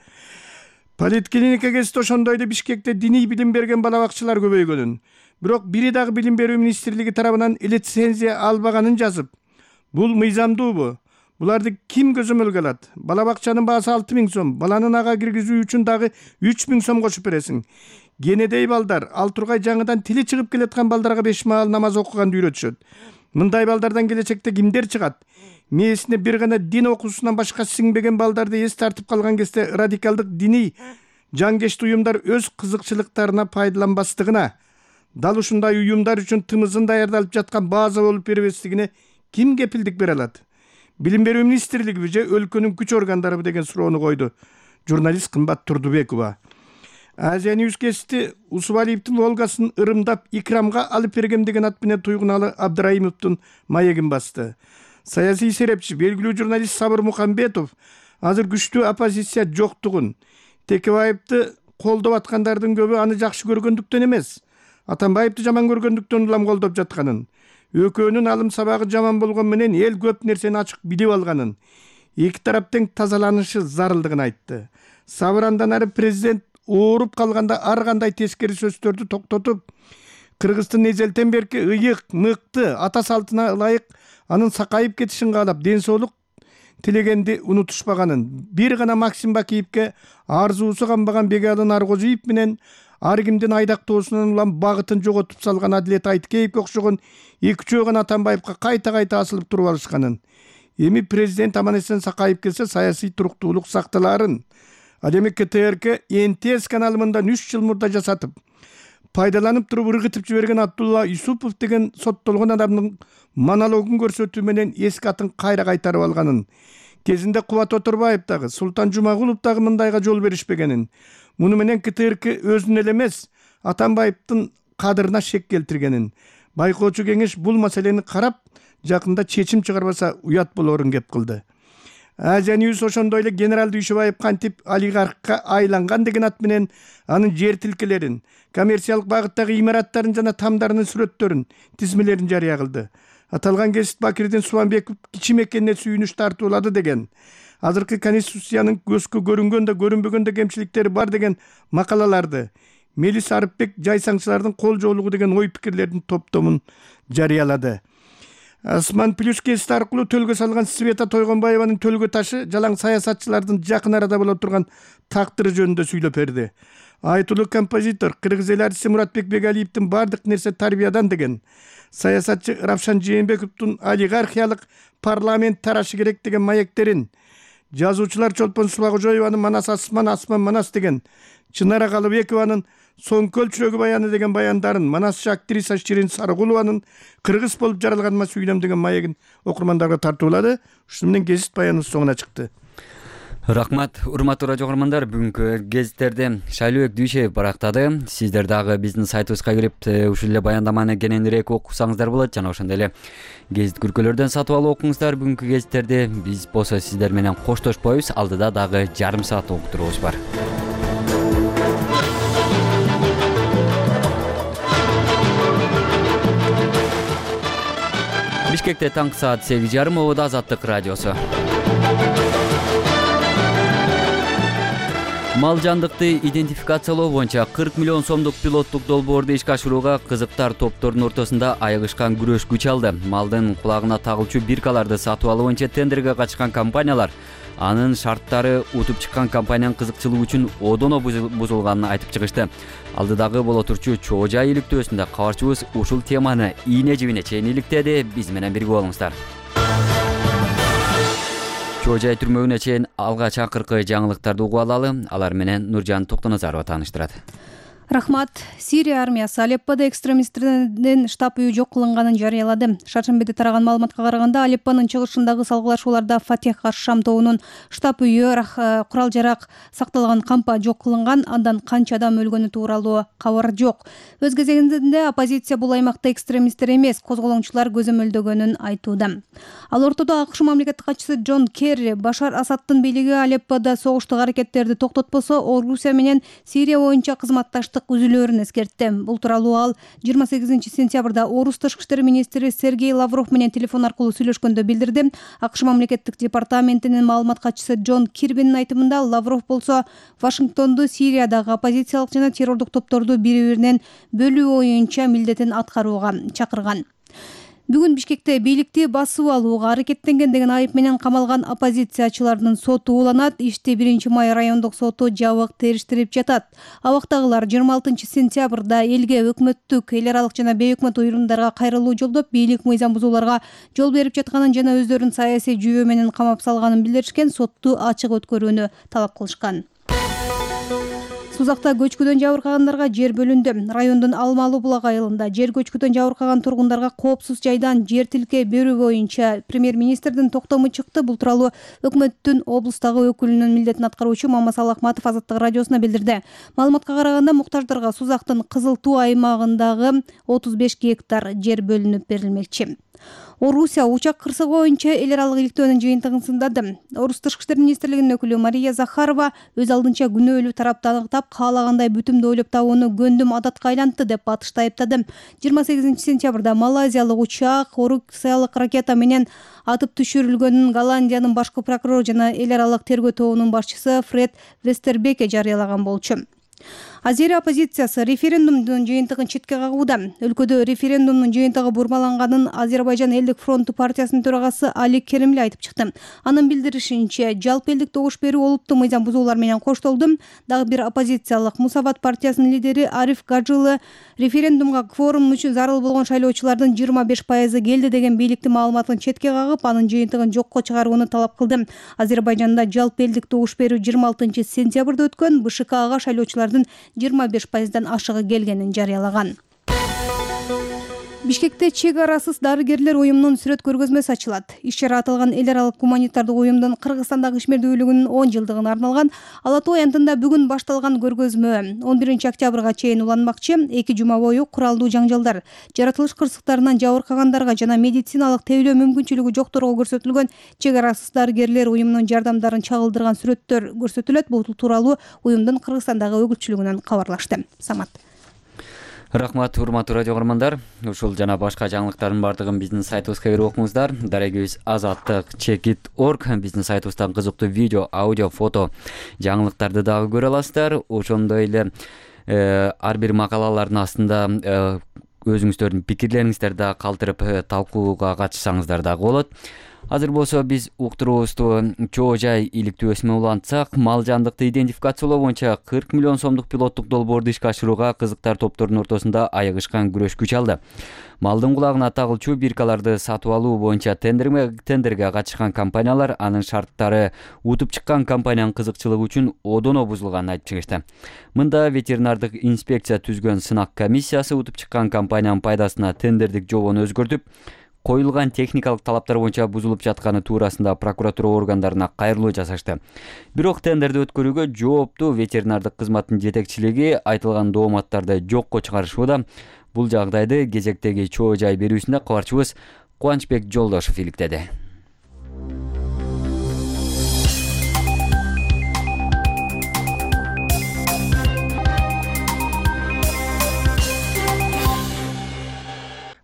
Политклиника кезинде ошондой эле Бишкекте диний билим берген балабакчылар көбөйгөнүн, бирок бири дагы Билим берүү министрлиги тарабынан лицензия албаганын жазып, бул мыйзамдуубу? Буларды ким көзөмөлгө алат? Балабакчанын баасы 6.000 сом, баланын ага киргизүү үчүн дагы 3.000 сом кошуп бересиң. Кенедей балдар, ал тургай жаңыдан тили чыгып келаткан балдарга 5 маал намаз окуганды үйрөтүшөт. Мындай балдардан келечекте кимдер чыгат? Мээсине бир гана дин окуусунан башка сиңбеген балдарды эс тартып калган кезде радикалдык диний жангешти уюмдар өз кызыкчылыктарына пайдаланбастыгына, дал ушундай уюмдар үчүн тымызын даярдалып жаткан база болуп бербестигине ким кепилдик бере алат? Билим берүү министрлигиби же өлкөнүн күч органдарыбы деген суроону койду журналист Кымбат Турдубекова. Азия Ньюс кезити Усубалиевдин Волгасын ырымдап Икрамга алып бергем деген ат менен туйгуналы Абдыраимовдун маегин басты. Саясий серепчи, белгилүү журналист Сабыр Мухамбетов азыр күчтүү оппозиция жоктугун, Текебаевди колдоп аткандардын көбү аны жакшы көргөндүктөн эмес, Атамбаевди жаман көргөндүктөн улам колдоп жатканын, экөөнүн алым сабагы жаман болгон менен эл көп нерсени ачык билип алганын, эки тараптын тазаланышы зарылдыгын айтты. Сабыр андан ары президент ооруп калганда ар кандай тескери сөздөрдү токтотуп, Кыргыздын эзелтен берки ыйык, мыкты, ата салтына ылайык анын сакайып кетишин каалап, ден соолук тилегенди унутушпаганын, бир гана Максим Бакиевге арзуусу канбаган Бегалын Аргозиев менен ар кимдин айдактоосунан улам багытын жоготуп салган Адилет Айткеевге окшогон 2-3 гана Атамбаевга кайта асылып туруп алышканын, эми президент аман-эсен сакайып келсе саясий туруктуулук сакталаарын, ал эми КТРК НТС каналымында 3 жыл мурда жасатып, пайдаланып туруп ыргытып жиберген Абдулла Юсупов деген соттолгон адамдын монологун көрсөтүү менен эски атын кайра кайтарып алганын, кезинде Кубат Отурбаев дагы, Султан Жумагулов дагы мындайга жол беришпегенин, муну менен КТРК өзүнө эле эмес, Атамбаевдин кадырына шек келтиргенин, байкоочу кеңеш бул маселени карап, жакында чечим чыгарбаса уят болорун кеп кылды. Азия Ньюс ошондой эле генерал Дүйшөбаев кантип олигархка айланган деген ат менен анын жер тилкелерин, коммерциялык багыттагы имараттарын жана тамдарынын сүрөттөрүн, тизмелерин жарыя кылды. Аталган гезит Бакирдин Субанбеков кичи мекенине сүйүнүш тартуулады деген, азыркы Конституциянын көзгө көрүнгөн да көрүнбөгөн да кемчиликтери бар деген макалаларды, Мелис Арыпбек жайсаңчылардын кол жоолугу деген ой пикирлердин топтомун жарыялады. Асман плюс гезити аркылуу төлгө салган Света Тойгонбаеванын төлгө ташы жалаң саясатчылардын жакын арада боло турган тактыры жөнүндө сүйлөп берди. Айтулуу композитор, кыргыз эл артисти Муратбек Бегалиевдин бардык нерсе тарбиядан деген, саясатчы Равшан Жээнбековдун олигархиялык парламент тарашы керек деген маектерин, жазуучулар Чолпон Субагожоеванын Манас асман, асман Манас деген, Чынара Калыбекованын Соң көлчүрөгү баяны деген баяндарын, манасчы актриса Ширин Сарыгулованын кыргыз болуп жаралганыма сүйлөм деген маегин окурмандарга тартуулады. Ушуну менен гезит баяныбыз соңуна чыкты. Рахмат, урматтуу радио көрөрмандар. Бүгүнкү гезиттерди Шайлообек Дүйшеев барактады. Сиздер дагы биздин сайтыбызга кирип, ушул эле баяндаманы кененирээк окусаңыздар болот жана ошондой эле гезит күркөлөрдөн сатып алып окуңуздар бүгүнкү гезиттерди. Биз болсо сиздер менен коштошпойбуз. Алдыда дагы жарым саат уктуруубуз бар. Бишкекте таңкы саат 8:30, Обода Азаттык радиосу. Мал жандыкты идентификациялоо боюнча 40 миллион сомдук пилоттук долбоорду ишке ашырууга кызыктар топтордун ортосунда айыгышкан күрөш күч алды. Малдын кулагына тагылчу биркаларды сатып алуу боюнча тендерге катышкан компаниялар анын шарттары утуп чыккан компаниянын кызыкчылыгы үчүн одоно бузулганын айтып чыгышты. Алдыдагы боло турчу чоо жай иликтөөсүндө кабарчыбыз ушул теманы ийне жибине чейин иликтеди. Биз менен бирге болуңуздар. Чоо жай түрмөгүнө чейин алгач акыркы жаңылыктарды угуп алалы. Алар менен Нуржан Токтоназарова тааныштырат. Рахмат. Сирия армиясы Алеппода экстремисттердин штаб үйү жок кылынганын жарыялады. Шаршембиде тараган маалыматка караганда, Алеппонун чыгышындагы салгылашууларда Фатех аш-Шам тобунун штаб үйү курал-жарак сакталган кампа жок кылынган. Андан канча адам өлгөнү тууралуу кабар жок. Өз кезегинде оппозиция бул аймакта экстремисттер эмес, козголоңчулар көзөмөлдөгөнүн айтууда. Ал ортодо АКШ мамлекеттик катчысы Джон Керри Башар Асаддын бийлиги Алеппода согуштук аракеттерди токтотпосо, Орусия менен Сирия боюнча кызматташтык үзүлөөрүн эскертти. Бул тууралуу ал 28-сентябрда Орус тышкы иштер министри Сергей Лавров менен телефон аркылуу сүйлөшкөндө билдирди. АКШ мамлекеттик департаментинин маалымат катчысы Джон Кирбинин айтымында, Лавров болсо Вашингтонду Сириядагы оппозициялык жана террордук топторду бири-биринен бөлүү боюнча милдетин аткарууга чакырган. Бүгүн Бишкекте бийликти басып алууга аракеттенген деген айып менен камалган оппозициячылардын соту уланат. Ишти 1-май райондук соту жабык териштирип жатат. Абактагылар 26-сентябрда элге, өкмөттүк, эл аралык жана бейөкмөт уюмдарга кайрылуу жолдоп, бийлик мыйзам бузууларга жол берип жатканын жана өздөрүн саясий жүйөө менен камап салганын билдиришкен. Сотту ачык өткөрүүнү талап кылышкан. Сузакта көчкүдөн жабыркагандарга жер бөлүндү. Райондун Алмалуу булак айылында жер көчкүдөн жабыркаган тургундарга коопсуз жайдан жер тилке берүү боюнча премьер-министрдин токтому чыкты. Бул тууралуу өкмөттүн облустагы өкүлүнүн милдетин аткаруучу Мамасал Акматов Азаттык радиосуна билдирди. Маалыматка караганда, муктаждарга Сузактын Кызыл Туу аймагындагы 35 гектар жер бөлүнүп берилмекчи. Орусия учак кырсыгы боюнча эл аралык иликтөөнүн жыйынтыгын сындады. Орус тышкы иштер министрлигинин өкүлү Мария Захарова өз алдынча күнөөлүү тарапты аныктап, каалагандай бүтүмдү ойлоп табууну гөндүм адатка айлантты деп батышты айыптады. 28-сентябрда малайзиялык учак орусиялык ракета менен атып түшүрүлгөнүн Голландиянын башкы прокурору жана эл аралык тергөө тобунун башчысы Фред Вестербеке жарыялаган болчу. Азерия оппозициясы референдумдун жыйынтыгын четке кагууда. Өлкөдө референдумдун жыйынтыгы бурмаланганын Азербайжан элдик фронту партиясынын төрагасы Али Керимли айтып чыкты. Анын билдиришинче, жалпы элдик добуш берүү олуттуу мыйзам бузуулар менен коштолду. Дагы бир оппозициялык Мусабат партиясынын лидери Ариф Гаджилы референдумга кворум үчүн зарыл болгон шайлоочулардын 25% келди деген бийликтин маалыматын четке кагып, анын жыйынтыгын жокко чыгарууну талап кылды. Азербайжанда жалпы элдик добуш берүү 26-сентябрда өткөн. БШКга шайлоочулардын 25%дан ашыгы келгенин жарыялаган. Бишкекте чек арасыз дарыгерлер уюмунун сүрөт көргөзмөсү ачылат. Иш-чара аталган эл аралык гуманитардык уюмдун Кыргызстандагы ишмердүүлүгүнүн 10 жылдыгына арналган. Ала Тоо аянтында бүгүн башталган көргөзмө 11-октябрга чейин уланмакчы. 2 жума бою куралдуу жаңжалдар, жаратылыш кырсыктарынан жабыркагандарга жана медициналык тейлөө мүмкүнчүлүгү жокторго көрсөтүлгөн чек арасыз дарыгерлер уюмунун жардамдарын чагылдырган сүрөттөр көрсөтүлөт. Бул тууралуу уюмдун Кыргызстандагы өкүлчүлүгүнөн кабарлашты. Самат. Рахмат, урматтуу радио көрөрмандар. Ушул жана башка жаңылыктардын бардыгын биздин сайтыбызга кирип окуңуздар. Дарегибиз azattik.org биздин сайтыбыздан кызыктуу видео, аудио, фото жаңылыктарды дагы көрө аласыздар. Ошондой эле ар бир макалалардын астында өзүңүздөрдүн пикирлериңиздерди дагы калтырып талкууга катышсаңыздар дагы болот. Азыр болсо биз уктуруубузду чоо жай иликтөөсүнө улантсак, мал жандыкты идентификациялоо боюнча 40 миллион сомдук пилоттук долбоорду ишке ашырууга кызыктар топтордун ортосунда аягышкан күрөш күч алды. Малдын кулагына тагылчу биркаларды сатып алуу боюнча тендерге катышкан компаниялар анын шарттары утуп чыккан компаниянын кызыкчылыгы үчүн одоно бузулганын айтып чыгышты. Мында ветеринардык инспекция түзгөн сынак комиссиясы утуп чыккан компаниянын пайдасына тендердик жобону өзгөртүп, коюлган техникалык талаптар боюнча бузулуп жатканы туурасында прокуратура органдарына кайрылуу жасашты. Бирок тендерди өткөрүүгө жооптуу ветеринардык кызматтын жетекчилиги айтылган дооматтарды жокко чыгарышууда. Бул жагдайды кезектеги чоо жай берүүсүндө кабарчыбыз Кубанычбек Жолдошов иликтеди.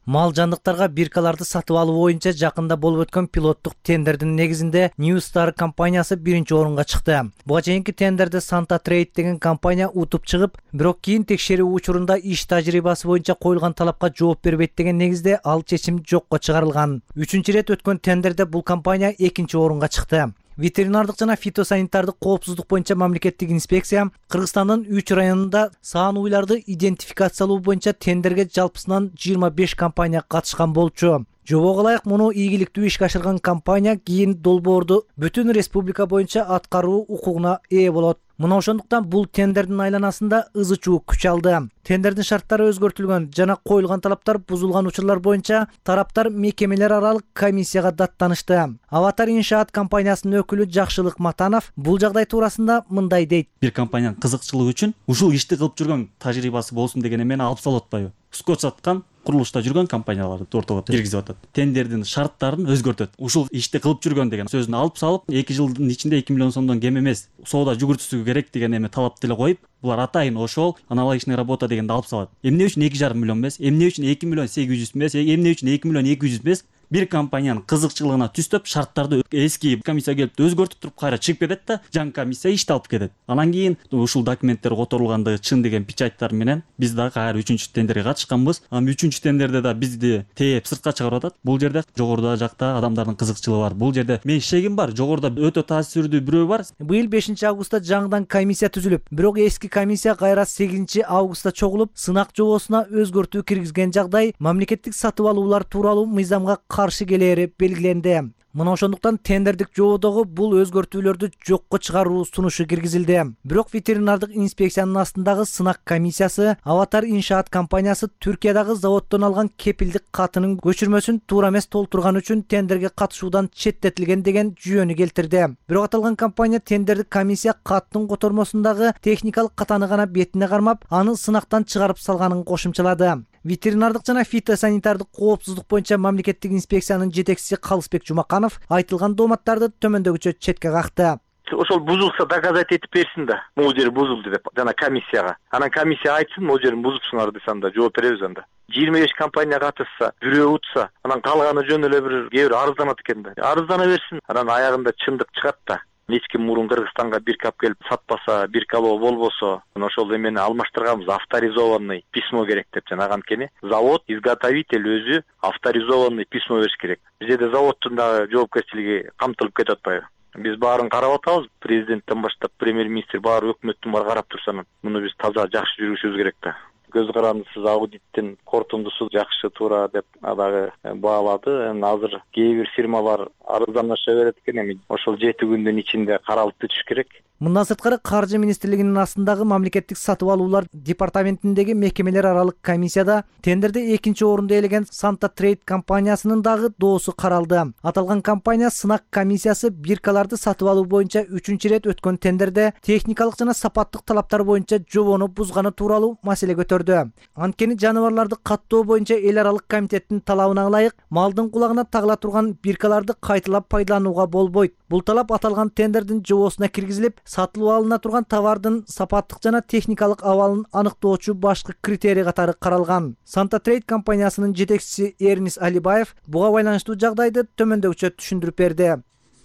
Мал жандыктарга биркаларды сатып алуу боюнча жакында болуп өткөн пилоттук тендердин негизинде New Star компаниясы биринчи орунга чыкты. Буга чейинки тендерде Santa Trade деген компания утуп чыгып, бирок кийин текшерүү учурунда иш тажрыйбасы боюнча коюлган талапка жооп бербейт деген негизде ал чечим жокко чыгарылган. 3-чү рет өткөн тендерде бул компания 2-нчи орунга чыкты. Ветеринардык жана фитосанитардык коопсуздук боюнча мамлекеттик инспекция Кыргызстандын 3 районунда саан уйларды идентификациялоо боюнча тендерге жалпысынан 25 компания катышкан болчу. Жобого ылайык муну ийгиликтүү ишке ашырган компания кийин долбоорду бүтүн республика боюнча аткаруу укугуна ээ болот. Мына ошондуктан бул тендердин айланасында ызы чуу күч алды. Тендердин шарттары өзгөртүлгөн жана коюлган талаптар бузулган учурлар боюнча тараптар мекемелер аралык комиссияга даттанышты. Аватар иншаат компаниясынын өкүлү Жакшылык Матанов бул жагдай туурасында мындай дейт. Бир компаниянын кызыкчылыгы үчүн ушул ишти кылып жүргөн тажрыйбасы болсун деген эмени алып салып атпайбы? Скотч саткан курулушта жүргөн компанияларды ортого киргизип атат. Тендердин шарттарын өзгөртөт. Ушул ишти кылып жүргөн деген сөзүн алып салып, 2 жылдын ичинде 2 миллион сомдон кем эмес соода жүгүртүүсү керек деген эме талап деле коюп, булар атайын ошол аналогичный работа дегенди алып салат. Эмне үчүн 2,5 миллион эмес, эмне үчүн 2 миллион 800 эмес, эмне үчүн 2 миллион 200 эмес? Бир компаниянын кызыкчылыгына түстөп, шарттарды эски комиссия келип өзгөртүп туруп кайра чыгып кетет да, жаңы комиссия ишти алып кетет. Анан кийин ушул документтер которулгандыгы чын деген печаттар менен биз дагы кайра 3-чү тендерге катышканбыз. Анан 3-чү тендерде да бизди тээп сыртка чыгарып атат. Бул жерде жогоруда жакта адамдардын кызыкчылыгы бар. Бул жерде мен шегим бар, жогоруда өтө таасирдүү бирөө бар. Быйыл 5-августта жаңыдан комиссия түзүлүп, бирок эски комиссия кайра 8-августта чогулуп, сынак жобосуна өзгөртүү киргизген жагдай мамлекеттик сатып алуулар тууралуу мыйзамга каршы келери белгиленди. Мына ошондуктан тендердик жободогу бул өзгөртүүлөрдү жокко чыгаруу сунушу киргизилди. Бирок ветеринардык инспекциянын астындагы сынак комиссиясы Аватар иншаат компаниясы Түркиядагы заводдон алган кепилдик катынын көчүрмөсүн туура эмес толтурган үчүн тендерге катышуудан четтетилген деген жүйөнү келтирди. Бирок аталган компания тендердик комиссия каттын котормосундагы техникалык катаны гана бетине кармап, аны сынактан чыгарып салганын кошумчалады. Ветеринардык жана фитосанитардык коопсуздук боюнча мамлекеттик инспекциянын жетекчиси Калысбек Жумаканов айтылган дооматтарды төмөндөгүчө четке какты. Ошол бузулса доказать этип берсин да, могул жери бузулду деп жана комиссияга. Анан комиссия айтсын, могул жерин бузупсуңар десе анда жооп беребиз анда. 25 компания катышса, бирөө утса, анан калганы жөн эле кээ бир арызданат экен да. Арыздана берсин, анан аягында чындык чыгат да. Эч ким мурун Кыргызстанга биркап келип сатпаса, биркалоо болбосо, ошол эмени алмаштырганбыз, авторизованный письмо керек деп жана анткени завод, изготовитель өзү авторизованный письмо бериш керек. Бизде заводдун дагы жоопкерчилиги камтылып кетип атпайбы? Биз баарын карап атабыз, президенттен баштап премьер-министр баары өкмөттүн баары карап турса, муну биз таза жакшы жүргүзүшүбүз керек да. Көз карандысыз аудиттин корутундусу жакшы туура деп дагы баалады. Азыр кээ бир фирмалар арызданыша берет экен, эми ошол 7 күндүн ичинде каралып бүтүш керек. Мындан сырткары Каржы министрлигинин астындагы мамлекеттик сатып алуулар департаментиндеги мекемелер аралык комиссияда тендерде 2-нчи орунду ээлеген Santa Trade компаниясынын дагы доосу каралды. Аталган компания сынак комиссиясы биркаларды сатып алуу боюнча 3-чү рет өткөн тендерде техникалык жана сапаттык талаптар боюнча жобону бузганы тууралуу маселе көтөрдү. Анткени жаныбарларды каттоо боюнча эл аралык комитеттин талабына ылайык малдын кулагына тагыла турган биркаларды кайталап пайдаланууга болбойт. Бул талап аталган тендердин жобосуна киргизилип, сатылып алына турган товардын сапаттык жана техникалык абалын аныктоочу башкы критерий катары каралган. Santa Trade компаниясынын жетекчиси Эрнис Алибаев буга байланыштуу жагдайды төмөндөгүчө түшүндүрүп берди.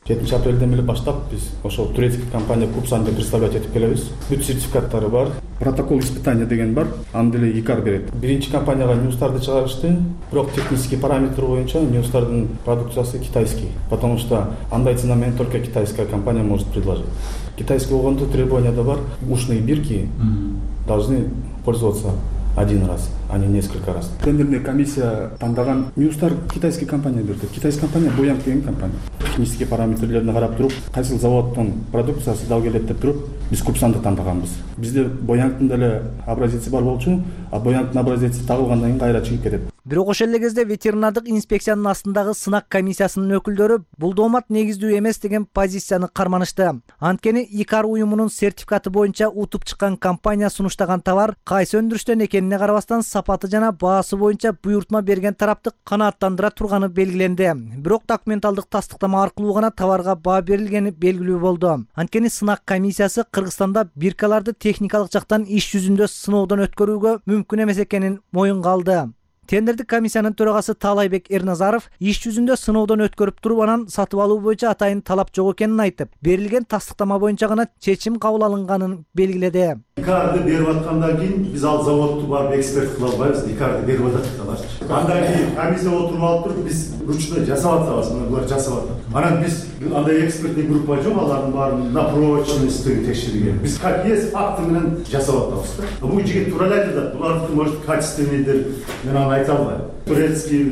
7 апрелден эле баштап биз ошол турецкий компания Купсанды представлять этип келебиз. Бүт сертификаттары бар. Протокол испытания деген бар. Аны деле ИКАР берет. Биринчи компанияга ньюстарды чыгарышты. Бирок технический параметр боюнча ньюстардын продукциясы китайский, потому что андай цена менен только китайская компания может предложить. Китайский болгондо требования да бар. Ушные бирки должны пользоваться один раз, а не несколько раз. Тендерная комиссия тандаган ньюстар китайский компания берди. Китайский компания Боянг деген компания. Технический параметрлерин карап туруп, кайсыл заводдун продукциясы дал келет деп туруп, биз Купсанды тандаганбыз. Бизде Боянгдын деле образеси бар болчу, а Боянгдын образеси тагылгандан кийин кайра чыгып кетет. Бирок ошол эле кезде ветеринардык инспекциянын астындагы сынак комиссиясынын өкүлдөрү бул доомат негиздүү эмес деген позицияны карманышты. Анткени ИКАР уюмунун сертификаты боюнча утуп чыккан компания сунуштаган товар кайсы өндүрүштөн экенине карабастан сапаты жана баасы боюнча буйртма берген тарапты канааттандыра турганы белгиленди. Бирок документалдык тастыктама аркылуу гана товарга баа берилгени белгилүү болду. Анткени сынак комиссиясы Кыргызстанда биркаларды техникалык жактан иш жүзүндө сыноодон өткөрүүгө мүмкүн эмес экенин моюнга алды. Тендердик комиссиянын төрагасы Таалайбек Эрназаров иш жүзүндө сыноодон өткөрүп туруп анан сатып алуу боюнча атайын талап жок экенин айтып, берилген тастыктама боюнча гана чечим кабыл алынганын белгиледи. ИКАРды берип аткандан кийин биз ал заводду барып эксперт кыла албайбыз. ИКАРды берип атат аларчы. Андан кийин комиссия отуруп алып туруп биз ручной жасап атабыз, мына булар жасап атат. Анан биз андай экспертный группа жок, алардын баарын на прочность текшерген. Биз как есть факты менен жасап атабыз да. Бул жигит туура эле айтат, булардыкы может качественныйдир. Мен аны айта албайм. Турецкий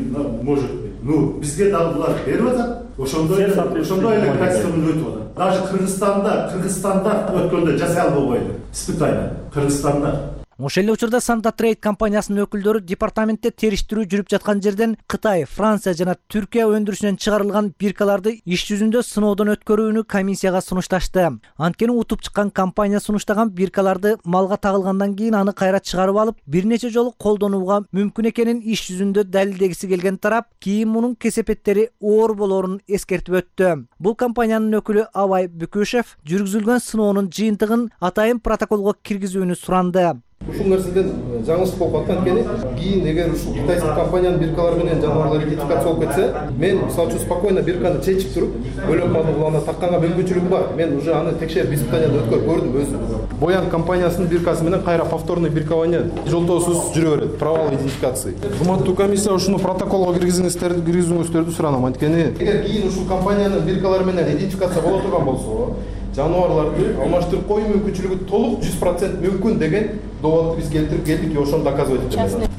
может быть. Ну, бизге дагы булар берип атат. Ошондой эле качественно өтүп атат. Даже Кыргызстанда өткөндө жасай албайбы испытание. Кыргызстанда. Ошол эле учурда Санта Трейд компаниясынын өкүлдөрү департаментте териштирүү жүрүп жаткан жерден Кытай, Франция жана Түркия өндүрүшүнөн чыгарылган биркаларды иш жүзүндө сыноодон өткөрүүнү комиссияга сунушташты. Анткени утуп чыккан компания сунуштаган биркаларды малга тагылгандан кийин аны кайра чыгарып алып, бир нече жолу колдонууга мүмкүн экенин иш жүзүндө далилдегиси келген тарап кийин мунун кесепеттери оор болоорун эскертип өттү. Бул компаниянын өкүлү Абай Бүкүшев жүргүзүлгөн сыноонун жыйынтыгын атайын протоколго киргизүүнү суранды. Ушул нерседен жаңылыш болуп аткан экен. Кийин эгер ушул китайский компаниянын биркалары менен жаныбарлар идентификация болуп кетсе, мен мисалы үчүн спокойно бирканы чечип туруп, бөлөк малды аны такканга мүмкүнчүлүгүм бар. Мен уже аны текшерип испытаниядан өткөрүп көрдүм өзүм. Боян компаниясынын биркасы менен кайра повторный биркование жолтоосуз жүрө берет. Провал идентификации. Урматтуу комиссия ушуну протоколго киргизүүңүздөрдү суранам. Анткени эгер кийин ушул компаниянын биркалары менен идентификация боло турган болсо, жаныбарларды алмаштырып коюу мүмкүнчүлүгү толук 100% мүмкүн деген доводду биз келтирип келдик, ошону доказывать этебиз.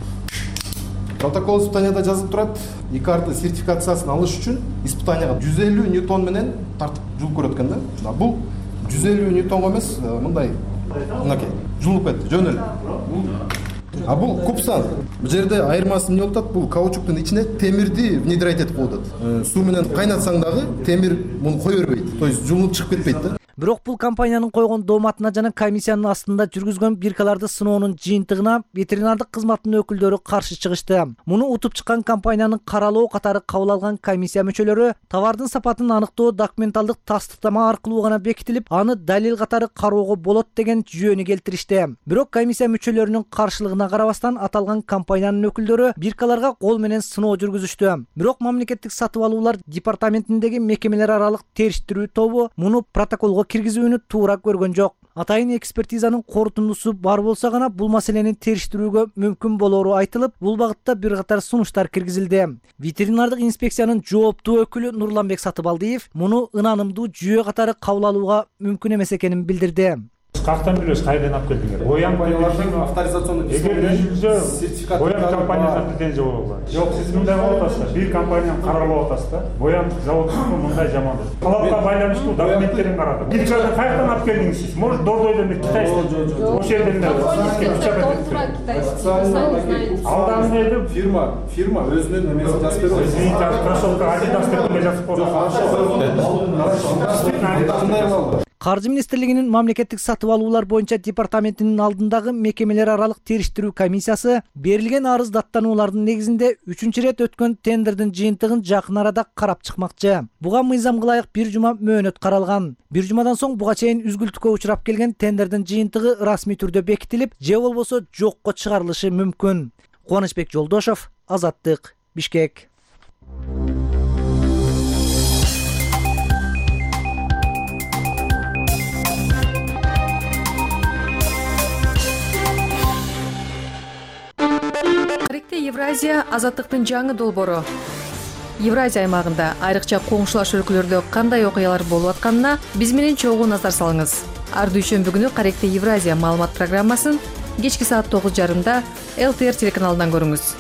Протокол испытанияда жазылып турат, ИКАРды сертификациясын алыш үчүн испытанияга 150 ньютон менен тартып жуулуп көрөт экен да. Бул 150 ньютонго эмес, мындай мынакей жуулуп кетти, жөн эле. А бул Купсан. Бул жерде айырмасы эмне болуп атат? Бул каучуктун ичине темирди внедрять этип коюп атат. Суу менен кайнатсаң дагы темир муну кое бербейт. То есть жуулуп чыгып кетпейт да. Бирок бул компаниянын койгон дооматына жана комиссиянын астында жүргүзгөн биркаларды сыноонун жыйынтыгына ветеринардык кызматтын өкүлдөрү каршы чыгышты. Муну утуп чыккан компаниянын каралоо катары кабыл алган комиссия мүчөлөрү товардын сапатын аныктоо документалдык тастыктама аркылуу гана бекитилип, аны далил катары кароого болот деген жүйөнү келтиришти. Бирок комиссия мүчөлөрүнүн каршылыгына карабастан аталган компаниянын өкүлдөрү биркаларга кол менен сыноо жүргүзүштү. Бирок мамлекеттик сатып алуулар департаментиндеги мекемелер аралык териштирүү тобу муну протоколго киргизүүнү туура көргөн жок. Атайын экспертизанын корутундусу бар болсо гана бул маселени териштирүүгө мүмкүн болоору айтылып, бул багытта бир катар сунуштар киргизилди. Ветеринардык инспекциянын жооптуу өкүлү Нурланбек Сатыбалдиев муну ынанымдуу жүйө катары кабыл алууга мүмкүн эмес экенин билдирди. Кактан билебиз кайдан алып келдиңер? Боян компаниялардын авторизационный сертификаты Боян компаниясына претензия болобу? Жок, сиз мындай болуп атасыз. Бир компанияны каралап атасыз да. Боян заводунун мындай жамандык. Талапка байланыштуу документтерин карадым. Бир жакта кайдан алып келдиңиз сиз? Может, Дордойдон бир китайский. Ошол жерден алдан эле фирма өзүнүн эмесин жазып берет. Извините, кроссовка Adidas деп жазып койгон. Каржы министрлигинин мамлекеттик сатып алуулар боюнча департаментинин алдындагы мекемелер аралык териштирүү комиссиясы берилген арыз даттануулардын негизинде 3-чү ирет өткөн тендердин жыйынтыгын жакын арада карап чыкмакчы. Буга мыйзамга ылайык 1 жума мөөнөт каралган. 1 жумадан соң буга чейин үзгүлтүккө учурап келген тендердин жыйынтыгы расмий түрдө бекитилип, же болбосо жокко чыгарылышы мүмкүн. Кубанычбек Жолдошов, Азаттык, Бишкек. Евразия азаттыктын жаңы долбоору. Евразия аймагында айрыкча коңшулаш өлкөлөрдө кандай окуялар болуп атканына биз менен чогуу назар салыңыз. Ар дүйшөмбү күнү Каректе Евразия маалымат программасын кечки саат 9:30 ЛТР телеканалынан көрүңүз.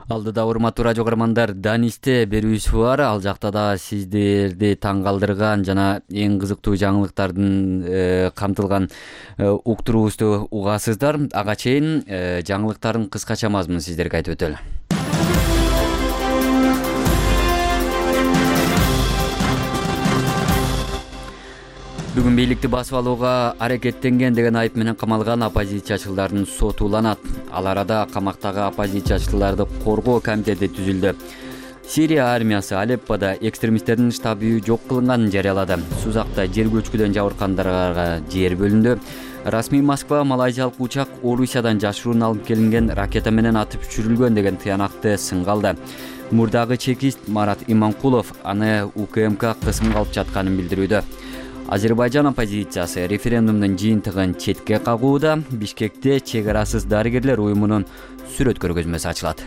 Алдыда урматтуу радио көрөрмандар, Данисте берүүсү бар. Ал жакта да сиздерди таң калтырган жана эң кызыктуу жаңылыктардын камтылган уктуруубузду угасыздар. Ага чейин жаңылыктардын кыскача мазмунун сиздерге айтып өтөлү. Бүгүн бийликти басып алууга аракеттенген деген айып менен камалган оппозициячылардын соту уланат. Ал арада камактагы оппозициячыларды коргоо комитети түзүлдү. Сирия армиясы Алеппода экстремисттердин штабы жок кылынганын жарыялады. Сузакта жер көчкүдөн жабыркандарга жер бөлүндү. Расмий Москва малайзиялык учак Орусиядан жашыруун алып келинген ракета менен атып түшүрүлгөн деген тыянакты сынга алды. Мурдагы чекист Марат Иманкулов аны УКМК кысымга алып жатканын билдирүүдө. Азербайжан оппозициясы референдумдун жыйынтыгын четке кагууда. Бишкекте чек арасыз дарыгерлер уюмунун сүрөт көргөзмөсү ачылат.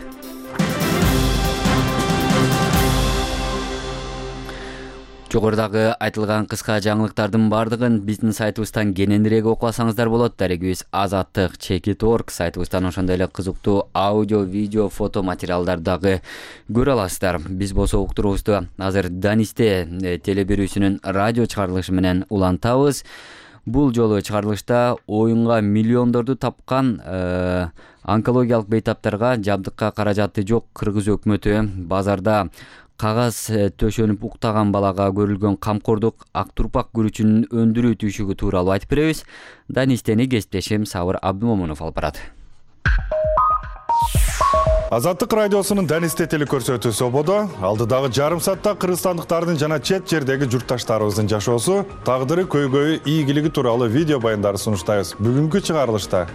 Жогорудагы айтылган кыска жаңылыктардын бардыгын биздин сайтыбыздан кененирээк окуп алсаңыздар болот. Дарегибиз azattik.org сайтыбыздан ошондой эле кызыктуу аудио, видео, фото материалдарды дагы көрө аласыздар. Биз болсо уктуруубузду азыр Данисте теле берүүсүнүн радио чыгарылышы менен улантабыз. Бул жолу чыгарылышта оюнга миллиондорду тапкан онкологиялык бейтаптарга жабдыкка каражаты жок Кыргыз өкмөтү базарда кагаз төшөнүп уктаган балага көрүлгөн камкордук ак турпак күрүчүнүн өндүрүү түйшүгү тууралуу айтып беребиз. Данистени кесиптешим Сабыр Абдымомунов алып барат. Азаттык радиосунун Данисте телекөрсөтүүсү ободо. Алдыдагы жарым саатта кыргызстандыктардын жана чет жердеги журтташтарыбыздын жашоосу, тагдыры, көйгөйү, ийгилиги тууралуу видео баяндарды сунуштайбыз. Бүгүнкү чыгарылышта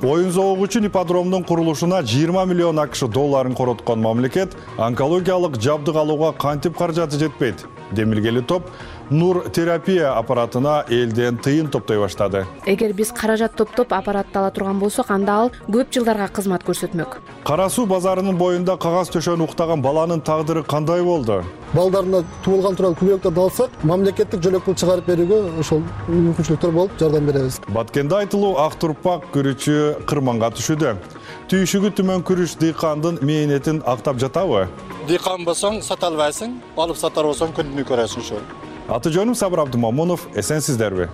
оюн зоого үчүн ипподромдун курулушуна 20 миллион АКШ долларын короткон мамлекет онкологиялык жабдык алууга кантип каражаты жетпейт? Демилгели топ нур терапия аппаратына элден тыйын топтой баштады. Эгер биз каражат топтоп аппаратты ала турган болсок, анда ал көп жылдарга кызмат көрсөтмөк. Кара суу базарынын боюнда кагаз төшөнүп уктаган баланын тагдыры кандай болду? Балдарына туулган турган күбөлөктөрдү алсак, мамлекеттик жөлөк пул чыгарып берүүгө ошол мүмкүнчүлүктөр болуп жардам беребиз. Баткенде айтылуу ак турпак күрүчү кырманга түшүүдө. Түйшүгү түмөн күрүч дыйкандын мээнетин актап жатабы? Дыйкан болсоң сата албайсың, алып сатар болсоң күнүнү көрөсүң ошол. Аты жөнүм Сабыр Абдымомунов, эсенсиздерби?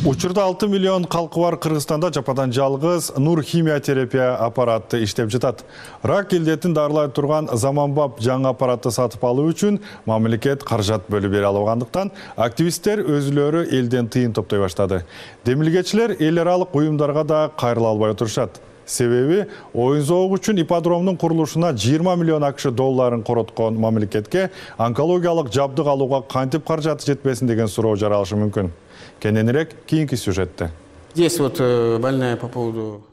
Учурда 6 миллион калкы бар Кыргызстанда жападан жалгыз нур химия терапия аппараты иштеп жатат. Рак илдетин дарылай турган заманбап жаңы аппаратты сатып алуу үчүн мамлекет каражат бөлүп бере албагандыктан активисттер өзүлөрү элден тыйын топтой баштады. Демилгечилер эл аралык уюмдарга да кайрыла албай отурушат. Себеби оюн зоого үчүн ипподромдун курулушуна 20 миллион АКШ долларын короткон мамлекетке онкологиялык жабдык алууга кантип каражаты жетпесин деген суроо жаралышы мүмкүн. Кененирээк кийинки сюжетте.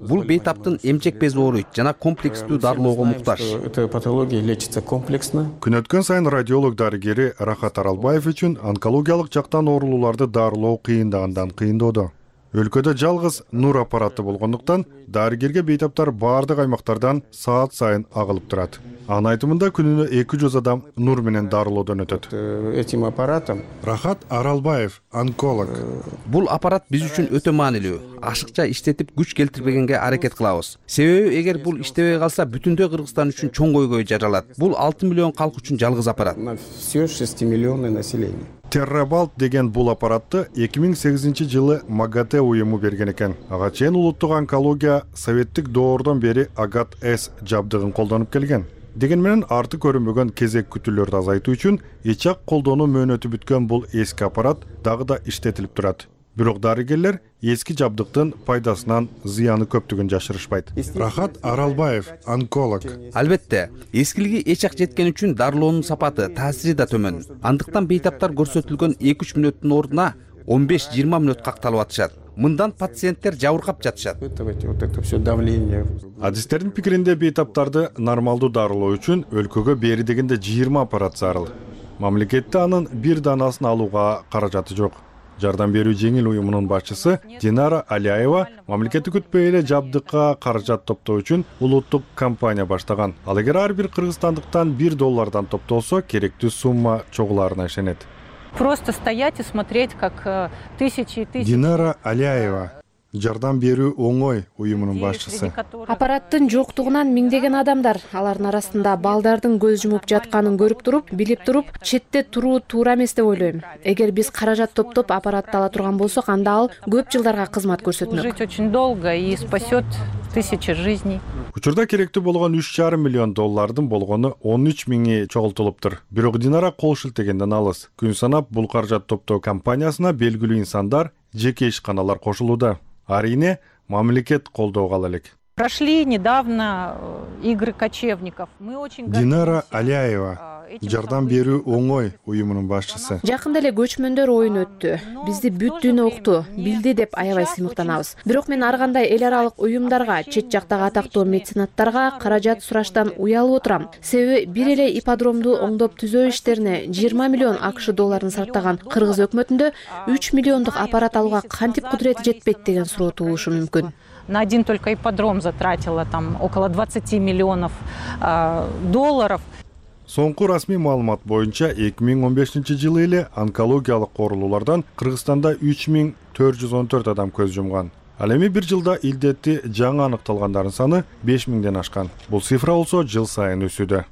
Бул бейтаптын эмчек бези ооруйт жана комплекстүү дарылоого муктаж. Эта патология лечится комплексно. Күн өткөн сайын радиолог дарыгери Рахат Аралбаев үчүн онкологиялык жактан оорулууларды дарылоо кыйындагандан кыйындоодо. Өлкөдө жалгыз нур аппараты болгондуктан дарыгерге бейтаптар баардык аймактардан саат сайын агылып турат. Анын айтымында күнүнө 200 адам нур менен дарылоодон өтөт. Этим аппаратом Рахат Аралбаев, онколог. Бул аппарат биз үчүн өтө маанилүү. Ашыкча иштетип күч келтирбегенге аракет кылабыз. Себеби эгер бул иштебей калса бүтүндөй Кыргызстан үчүн чоң көйгөй жаралат. Бул 6 миллион калк үчүн жалгыз аппарат. Все 6 миллионное население. Террабалт деген бул аппаратты 2008 жылы МАГАТЭ уюму берген экен. Ага чейин улуттук онкология советтик доордон бери АГАТ-С жабдыгын колдонуп келген. Деген менен арты көрүнбөгөн кезек күтүүлөрдү азайтуу үчүн эч-ак колдонуу мөөнөтү бүткөн бул эски аппарат дагы да иштетилип турат. Бирок дарыгерлер эски жабдыктын пайдасынан зыяны көптүгүн жашырышпайт. Рахат Аралбаев, онколог. Албетте, эскилиги эч-ак жеткен үчүн дарылоонун сапаты, таасири да төмөн. Андыктан бейтаптар көрсөтүлгөн 2-3 мүнөттүн ордуна 15-20 мүнөт какталып атышат. Мындан пациенттер жабыркап жатышат. Это все давление. Адистердин пикиринде бейтаптарды нормалдуу дарылоо үчүн өлкөгө бери дегенде 20 аппарат зарыл. Мамлекетте анын бир данасын алууга каражаты жок. Жардам берүү жеңил уюмунун башчысы Динара Аляева мамлекеттик күтпөй эле жабдыкка каражат топтоо үчүн улуттук кампания баштаган. Ал эгер ар бир кыргызстандыктан $1 топтолсо, керектүү сумма чогуларына ишенет. Просто стоять и смотреть, как тысячи и тысячи. Динара Аляева, Жардам берүү оңой уюмунун башчысы. Аппараттын жоктугунан миңдеген адамдар, алардын арасында балдардын көз жумуп жатканын көрүп туруп, билип туруп, четте туруу туура эмес деп ойлойм. Эгер биз каражат топтоп аппаратты ала турган болсок, анда ал көп жылдарга кызмат көрсөтмөк. Жить очень долго и спасет тысячи жизней. Учурда керектүү болгон $3,5 миллион болгону 13 миңи чогултулуптур. Бирок Динара кол шилтегенден алыс. Күн санап бул каражат топтоо кампаниясына белгилүү инсандар, жеке ишканалар кошулууда. Арине мамлекет колдоого ала элек. Прошли недавно игры кочевников. Мы очень Динара Аляева, Жардам берүү оңой уюмунун башчысы. Жакында эле көчмөндөр оюн өттү. Бизди бүт дүйнө укту, билди деп аябай сыймыктанабыз. Бирок мен ар кандай эл аралык уюмдарга, чет жактагы атактуу меценаттарга каражат сураштан уялып отурам. Себеби бир эле ипподромду оңдоп түзөө иштерине $20 миллион долларын сарптаган кыргыз өкмөтүндө 3 миллиондук аппарат алууга кантип кудурети жетпейт деген суроо туулушу мүмкүн. На один только ипподром затратила там около $20 миллионов. Соңку расмий маалымат боюнча 2015-жылы эле онкологиялык оорулуулардан Кыргызстанда 3414 адам көз жумган. Ал эми бир жылда илдетти жаңы аныкталгандардын саны 5000ден ашкан. Бул цифра болсо жыл сайын өсүүдө.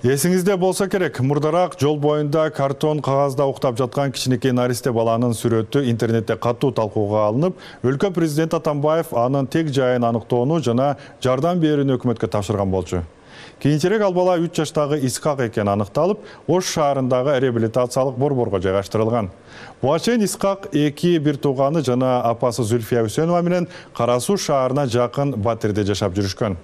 Эсиңизде болсо керек, мурдараак жол боюнда картон кагазда уктап жаткан кичинекей наристе баланын сүрөтү интернетте катуу талкууга алынып, өлкө президенти Атамбаев анын тег жайын аныктоону жана жардам берүүнү өкмөткө тапшырган болчу. Кийинчерээк ал бала 3 жаштагы Исхак экени аныкталып, Ош шаарындагы реабилитациялык борборго жайгаштырылган. Буга чейин Исхак эки бир тууганы жана апасы Зүлфия Үсөнова менен Кара Суу шаарына жакын Батирде жашап жүрүшкөн.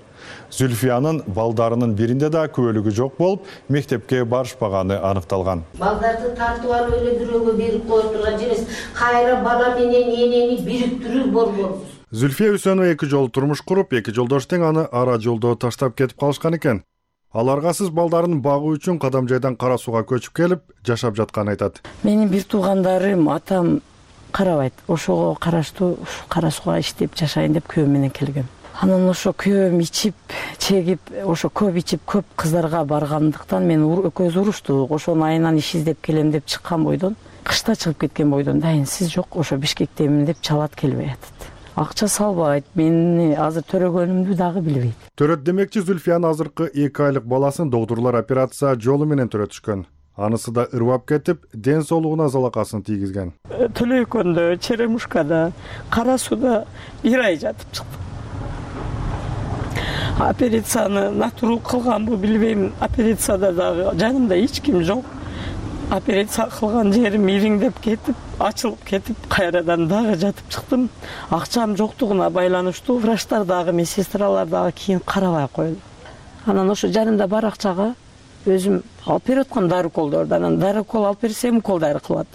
Зүлфиянын балдарынын биринде да күбөлүгү жок болуп, мектепке барышпаганы аныкталган. Балдарды тартып алып эле бирөөгө берип коюп турган эмес, кайра бала менен энени бириктирүү борборубуз. Зүлфия Үсөнова 2 жолу турмуш куруп, 2 жолдош тең аны ара жолдо таштап кетип калышкан экен. Ал аргасыз балдарын багуу үчүн Кадам жайдан Кара Сууга көчүп келип, жашап жатканын айтат. Менин бир туугандарым, атам карабайт. Ошого караштуу Кара Сууга иштеп жашайын деп күйөөм менен келгем. Анан ошо күйөөм ичип, чегип, ошо көп ичип, көп кыздарга баргандыктан мен экөөбүз уруштук. Ошонун айынан иш издеп келем деп чыккан бойдон, кышта чыгып кеткен бойдон дайынсыз жок, ошо Бишкектемин деп чалат келбей атат. Акча салбайт, мени азыр төрөгөнүмдү дагы билбейт. Төрөт демекчи Зүлфиянын азыркы 2 айлык баласын доктурлар операция жолу менен төрөтүшкөн. Анысы да ырбап кетип, ден соолугуна залакасын тийгизген. Төлөйкөндө, Черемушкада, Кара Сууда 1 ай жатып чыктым. Операцияны натурал кылганбы билбейм. Операцияда дагы жанымда эч ким жок. Операция кылган жерим ириңдеп кетип, ачылып кетип, кайрадан дагы жатып чыктым. Акчам жоктугуна байланыштуу врачтар дагы, медсестралар дагы кийин карабай койду. Анан ошо жанымда бар акчага өзүм алып берип аткам дары уколдорду. Анан дары укол алып берсем, укол дары кылат.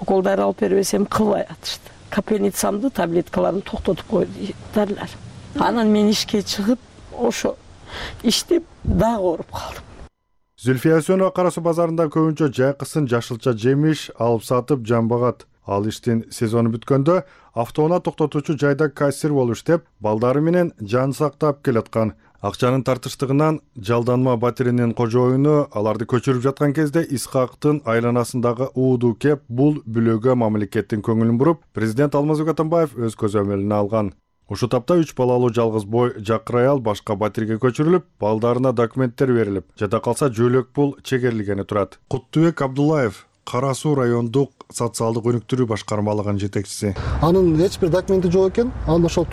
Укол дары алып бербесем, кылбай атышты. Капельницамды, таблеткаларын токтотуп койду дарылар. Анан мен ишке чыгып, ошо иштеп дагы ооруп калдым. Зүлфия Үсөнова Кара Суу базарында көбүнчө жайкысын, жашылча жемиш алып сатып жамбагат. Ал иштин сезону бүткөндө автоунаа токтотуучу жайда кассир болуп иштеп, балдары менен жан сактап келаткан. Акчанын тартыштыгынан жалданма Батиринин кожоюну аларды көчүрүп жаткан кезде Исхактын айланасындагы ууду кеп, бул бүлөгө мамлекеттин көңүлүн буруп, президент Алмазбек Атамбаев өз көзөмөлүнө алган. Ушул тапта 3 балалуу жалгыз бой жакыр аял башка Батирге көчүрүлүп, балдарына документтер берилип, жада калса жөлөк пул чегерилгени турат. Куттубек Абдуллаев, Кара Суу райондук социалдык өнүктүрүү башкармалыгынын жетекчиси. Анын эч бир документи жок экен. Анын ошол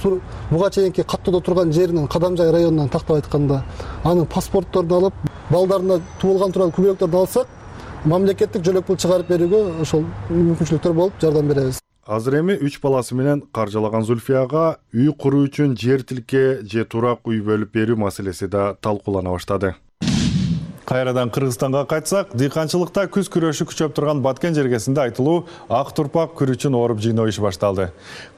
буга чейинки каттоодо турган жеринин Кадамжай районунан тактап айтканда, анын паспортторун алып, балдарына туулган турган күбөлөктөрдү алсак, мамлекеттик жөлөк пул чыгарып берүүгө ошол мүмкүнчүлүктөр болуп жардам беребиз. Азыр эми 3 баласы менен каржылаган Зүлфияга үй куруу үчүн жер тилке же турак үй бөлүп берүү маселеси да талкуулана баштады. Кайрадан Кыргызстанга кайтсак, дыйканчылыкта күз күрөшү күчөп турган Баткен жергесинде айтылуу ак турпак күрүчүн ооруп жыйноо иши башталды.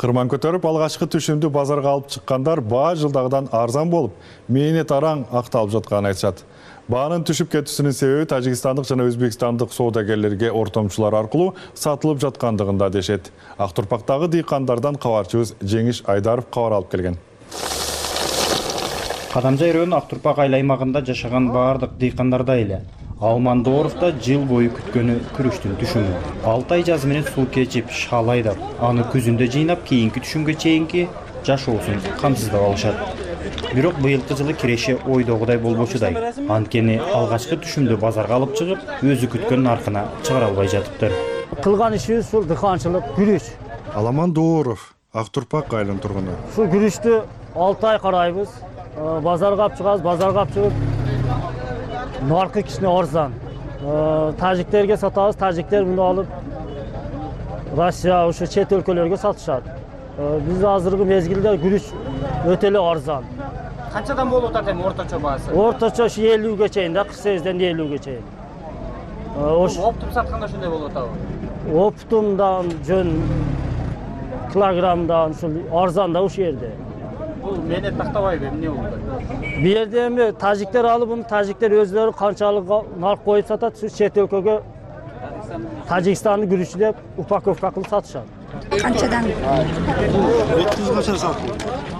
Кырман көтөрүп алгачкы түшүмдү базарга алып чыккандар баа жылдагыдан арзан болуп, мээнет араң акталып жатканын айтышат. Баанын түшүп кетүүсүнүн себеби тажикстандык жана өзбекстандык соодагерлерге ортомчулар аркылуу сатылып жаткандыгында дешет. Ак Турпактагы дыйкандардан кабарчыбыз Жеңиш Айдаров кабар алып келген. Кадамжай району Ак Турпак айыл аймагында жашаган баардык дыйкандарда эле Алман Дооровда жыл бою күткөнү күрүчтүн түшүмү. 6 ай жазы менен суу кечип, шал айдап, аны күзүндө жыйнап, кийинки түшүмгө чейинки жашоосун камсыздап алышат. Бирок быйылкы жылы киреше ойдогудай болбочудай. Анткени алгачкы түшүмдү базарга алып чыгып, өзү күткөн наркына чыгара албай жатыптыр. Кылган ишибиз ушул дыйканчылык, күрүч. Аламан Дооров, Ак Турпак айылынын тургуну. Ушул күрүчтү 6 ай карайбыз. Базарга алып чыгабыз, базарга алып чыгып наркы кичине арзан. Тажиктерге сатабыз, тажиктер муну алып Россия, ушу чет өлкөлөргө сатышат. Биз азыркы мезгилде күрүч өтө эле арзан. Канчадан болуп атат эми орточо баасы? Орточо 50ге чейин да, 48ден 50ге чейин. Оптум сатканда ошондой болуп атабы? Оптумдан жөн килограммдан ушул арзан да ушул жерде. Бул менет тактабайбы, эмне болду? Бу жерде эми тажиктер алып, муну тажиктер өзлөрү канчалык нарк коюп сатат, ушу чет өлкөгө Тажикстандын күрүчү деп упаковка кылып сатышат. Канчадан? 700 качан сатылды.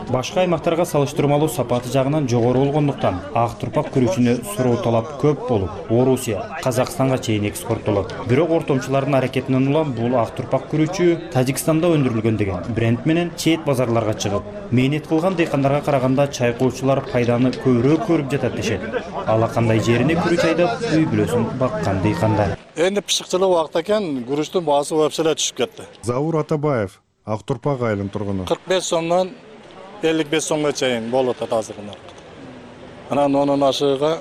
Башка аймактарга салыштырмалуу сапаты жагынан жогору болгондуктан Ак Турпак күрүчүнө суроо талап көп болуп, Орусия, Казакстанга чейин экспорттолот. Бирок ортомчулардын аракетинен улам бул Ак Турпак күрүчү Тажикстанда өндүрүлгөн деген бренд менен чет базарларга чыгып, мээнет кылган дыйкандарга караганда чайкоочулар пайданы көбүрөөк көрүп жатат дешет. Ала кандай жерине күрүч айдап, үй бүлөсүн баккан дыйкандар. Эми пышыкчылык убакта экен, күрүчтүн баасы вообще түшүп кетти. Заур Атабаев, Ак Турпак айылынын тургуну. 45 сомдон 55 сомго чейин болуп атат азыркы нарк. Анан онун ашыгы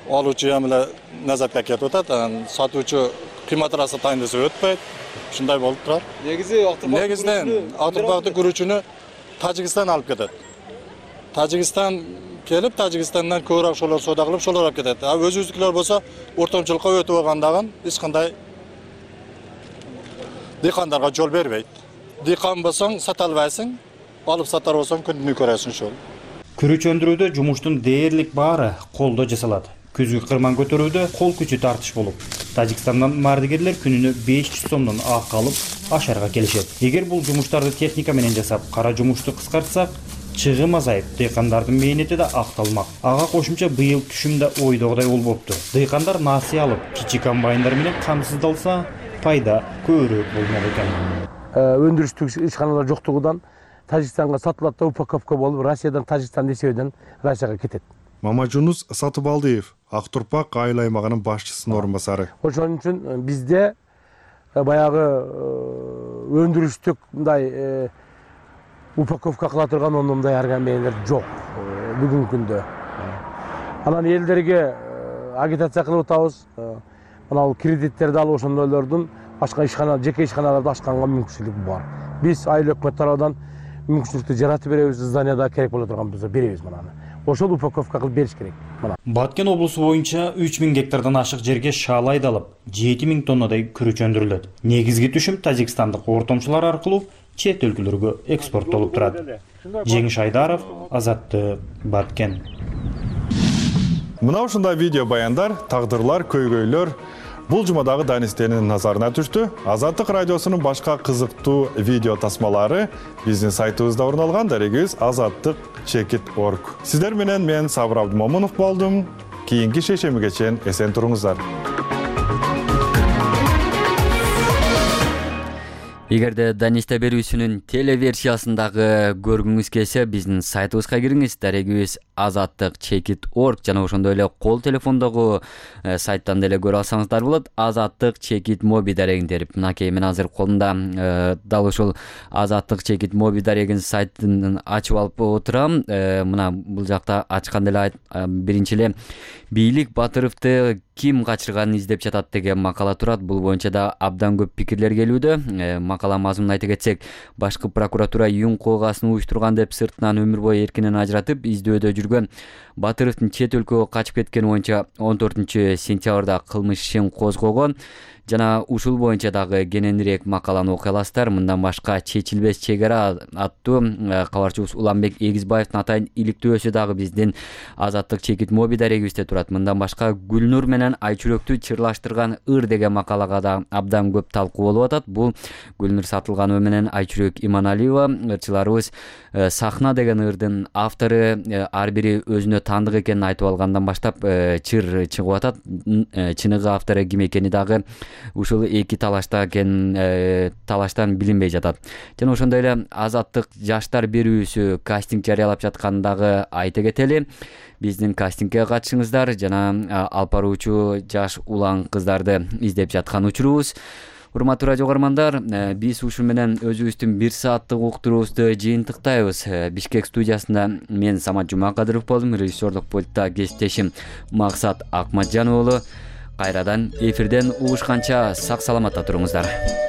алуучу эмеле назатка кетип атат, сатуучу кыйматыраса тайын десе өтпөйт. Ушундай болуп турат. Негизинен Ак Турпактын күрүчүнү Тажикстан алып кетет. Тажикстан келип, Тажикстандан көбүрөөк ошолор соода кылып, ошолор алып кетет. Өзүбүздүкүлөр болсо ортомчулукка өтүп алгандагын эч кандай дыйкандарга жол бербейт. Дыйкан болсоң сата албайсың, алып сатар болсоң күнүнө көрөсүң ошол. Күрүч өндүрүүдө жумуштун дээрлик баары колдо жасалат. Күзгү кырман көтөрүүдө кол күчү тартыш болуп, Тажикстандан мардыгерлер күнүнө 500 сомдон акы алып, ашарга келишет. Эгер бул жумуштарды техника менен жасап, кара жумушту кыскартсак, чыгым азайып, дыйкандардын мээнети да акталмак. Ага кошумча быйыл түшүм да ойдогудай болбопту. Дыйкандар насыя алып, кичи комбайндар менен камсыздалса, пайда көбүрөөк болмок экен. Өндүрүштүк ишканалар жоктугунан Тажикстанга сатылат да упаковка болуп, Россиядан Тажикстан эсебинен Россияга кетет. Мамажунус Сатыбалдиев, Ак Турпак айыл аймагынын башчысынын орун басары. Ошон үчүн бизде баягы өндүрүштүк мындай упаковка кыла турган мындай аргамендер жок бүгүнкү күндө. Анан элдерге агитация кылып атабыз. Мына кредиттерди алып ошондойлордун башка ишкана, жеке ишканаларды ачканга мүмкүнчүлүк бар. Биз айыл өкмөт тарабынан мүмкүнчүлүктү жаратып беребиз, зданияда керек боло турган болсо беребиз мынаны. Ошол упаковка кылып бериш керек. Баткен облусу боюнча 3000 гектардан ашык жерге шаал айдалып, 7000 тоннадай күрүч өндүрүлөт. Негизги түшүм тажикстандык ортомчулар аркылуу чет өлкөлөргө экспорттолуп турат. Жеңиш Айдаров, Азаттык, Баткен. Мына ушундай видео баяндар, тагдырлар, көйгөйлөр бул жумадагы Данистенин назарына түштү. Азаттык радиосунун башка кызыктуу видео тасмалары биздин сайтыбызда орун алган. Дарегибиз azattik.org. Сиздер менен мен Сабыр Абдымомунов болдум. Кийинки шешемиге чейин эсен туруңуздар. Эгерде Данисте берүүсүнүн телеверсиясындагы көргүңүз келсе, биздин сайтыбызга кириңиз. Дарегибиз azattik.org жана ошондой эле кол телефондогу сайттан деле көрө алсаңыздар болот. azattik.mobi дарегин терип, мынакей мен азыр колумда дал ушул azattik.mobi дарегин сайтын ачып алып отурам. Мына бул жакта ачканда эле биринчи эле бийлик Батыровду ким качырганын издеп жатат деген макала турат. Бул боюнча да абдан көп пикирлер келүүдө. Макала мазмунун айта кетсек, башкы прокуратура юң коогасын уюштурган деп сыртынан өмүр бою эркинен ажыратып, издөөдө жүргөн Батыровдун чет өлкөгө качып кеткени боюнча 14 сентябрда кылмыш ишин козгогон. жана ушул боюнча дагы кененирээк макаланы окуй аласыздар. Мындан башка чечилбес чек ара аттуу кабарчыбыз Уланбек Эгизбаевдин атайын иликтөөсү дагы биздин Азаттык чекит моби дарегибизде турат. Мындан башка Гүлнур менен Айчүрөктү чырлаштырган ыр деген макалага да абдан көп талкуу болуп атат. Бул Гүлнур Сатылганова менен Айчүрөк Иманалиева ырчыларыбыз Сахна деген ырдын автору ар бири өзүнө таандык экенин айтып алгандан баштап чыр чыгып атат. Чыныгы автору ким экени дагы ушул эки талаштан билинбей жатат. Жана ошондой эле Азаттык жаштар берүүсү кастинг жарыялап жатканын дагы айта кетели. Биздин кастингге катышыңыздар жана алып баруучу жаш улан кыздарды издеп жаткан учурубуз. Урматтуу радио угармандар, биз ушу менен өзүбүздүн 1 сааттык уктуруубузду жыйынтыктайбыз. Бишкек студиясында мен Самат Жумакадыров болдум, режиссердук пультта кесиптешим Максат Акматжанов болду. Кайрадан эфирден угушканча сак саламатта туруңуздар.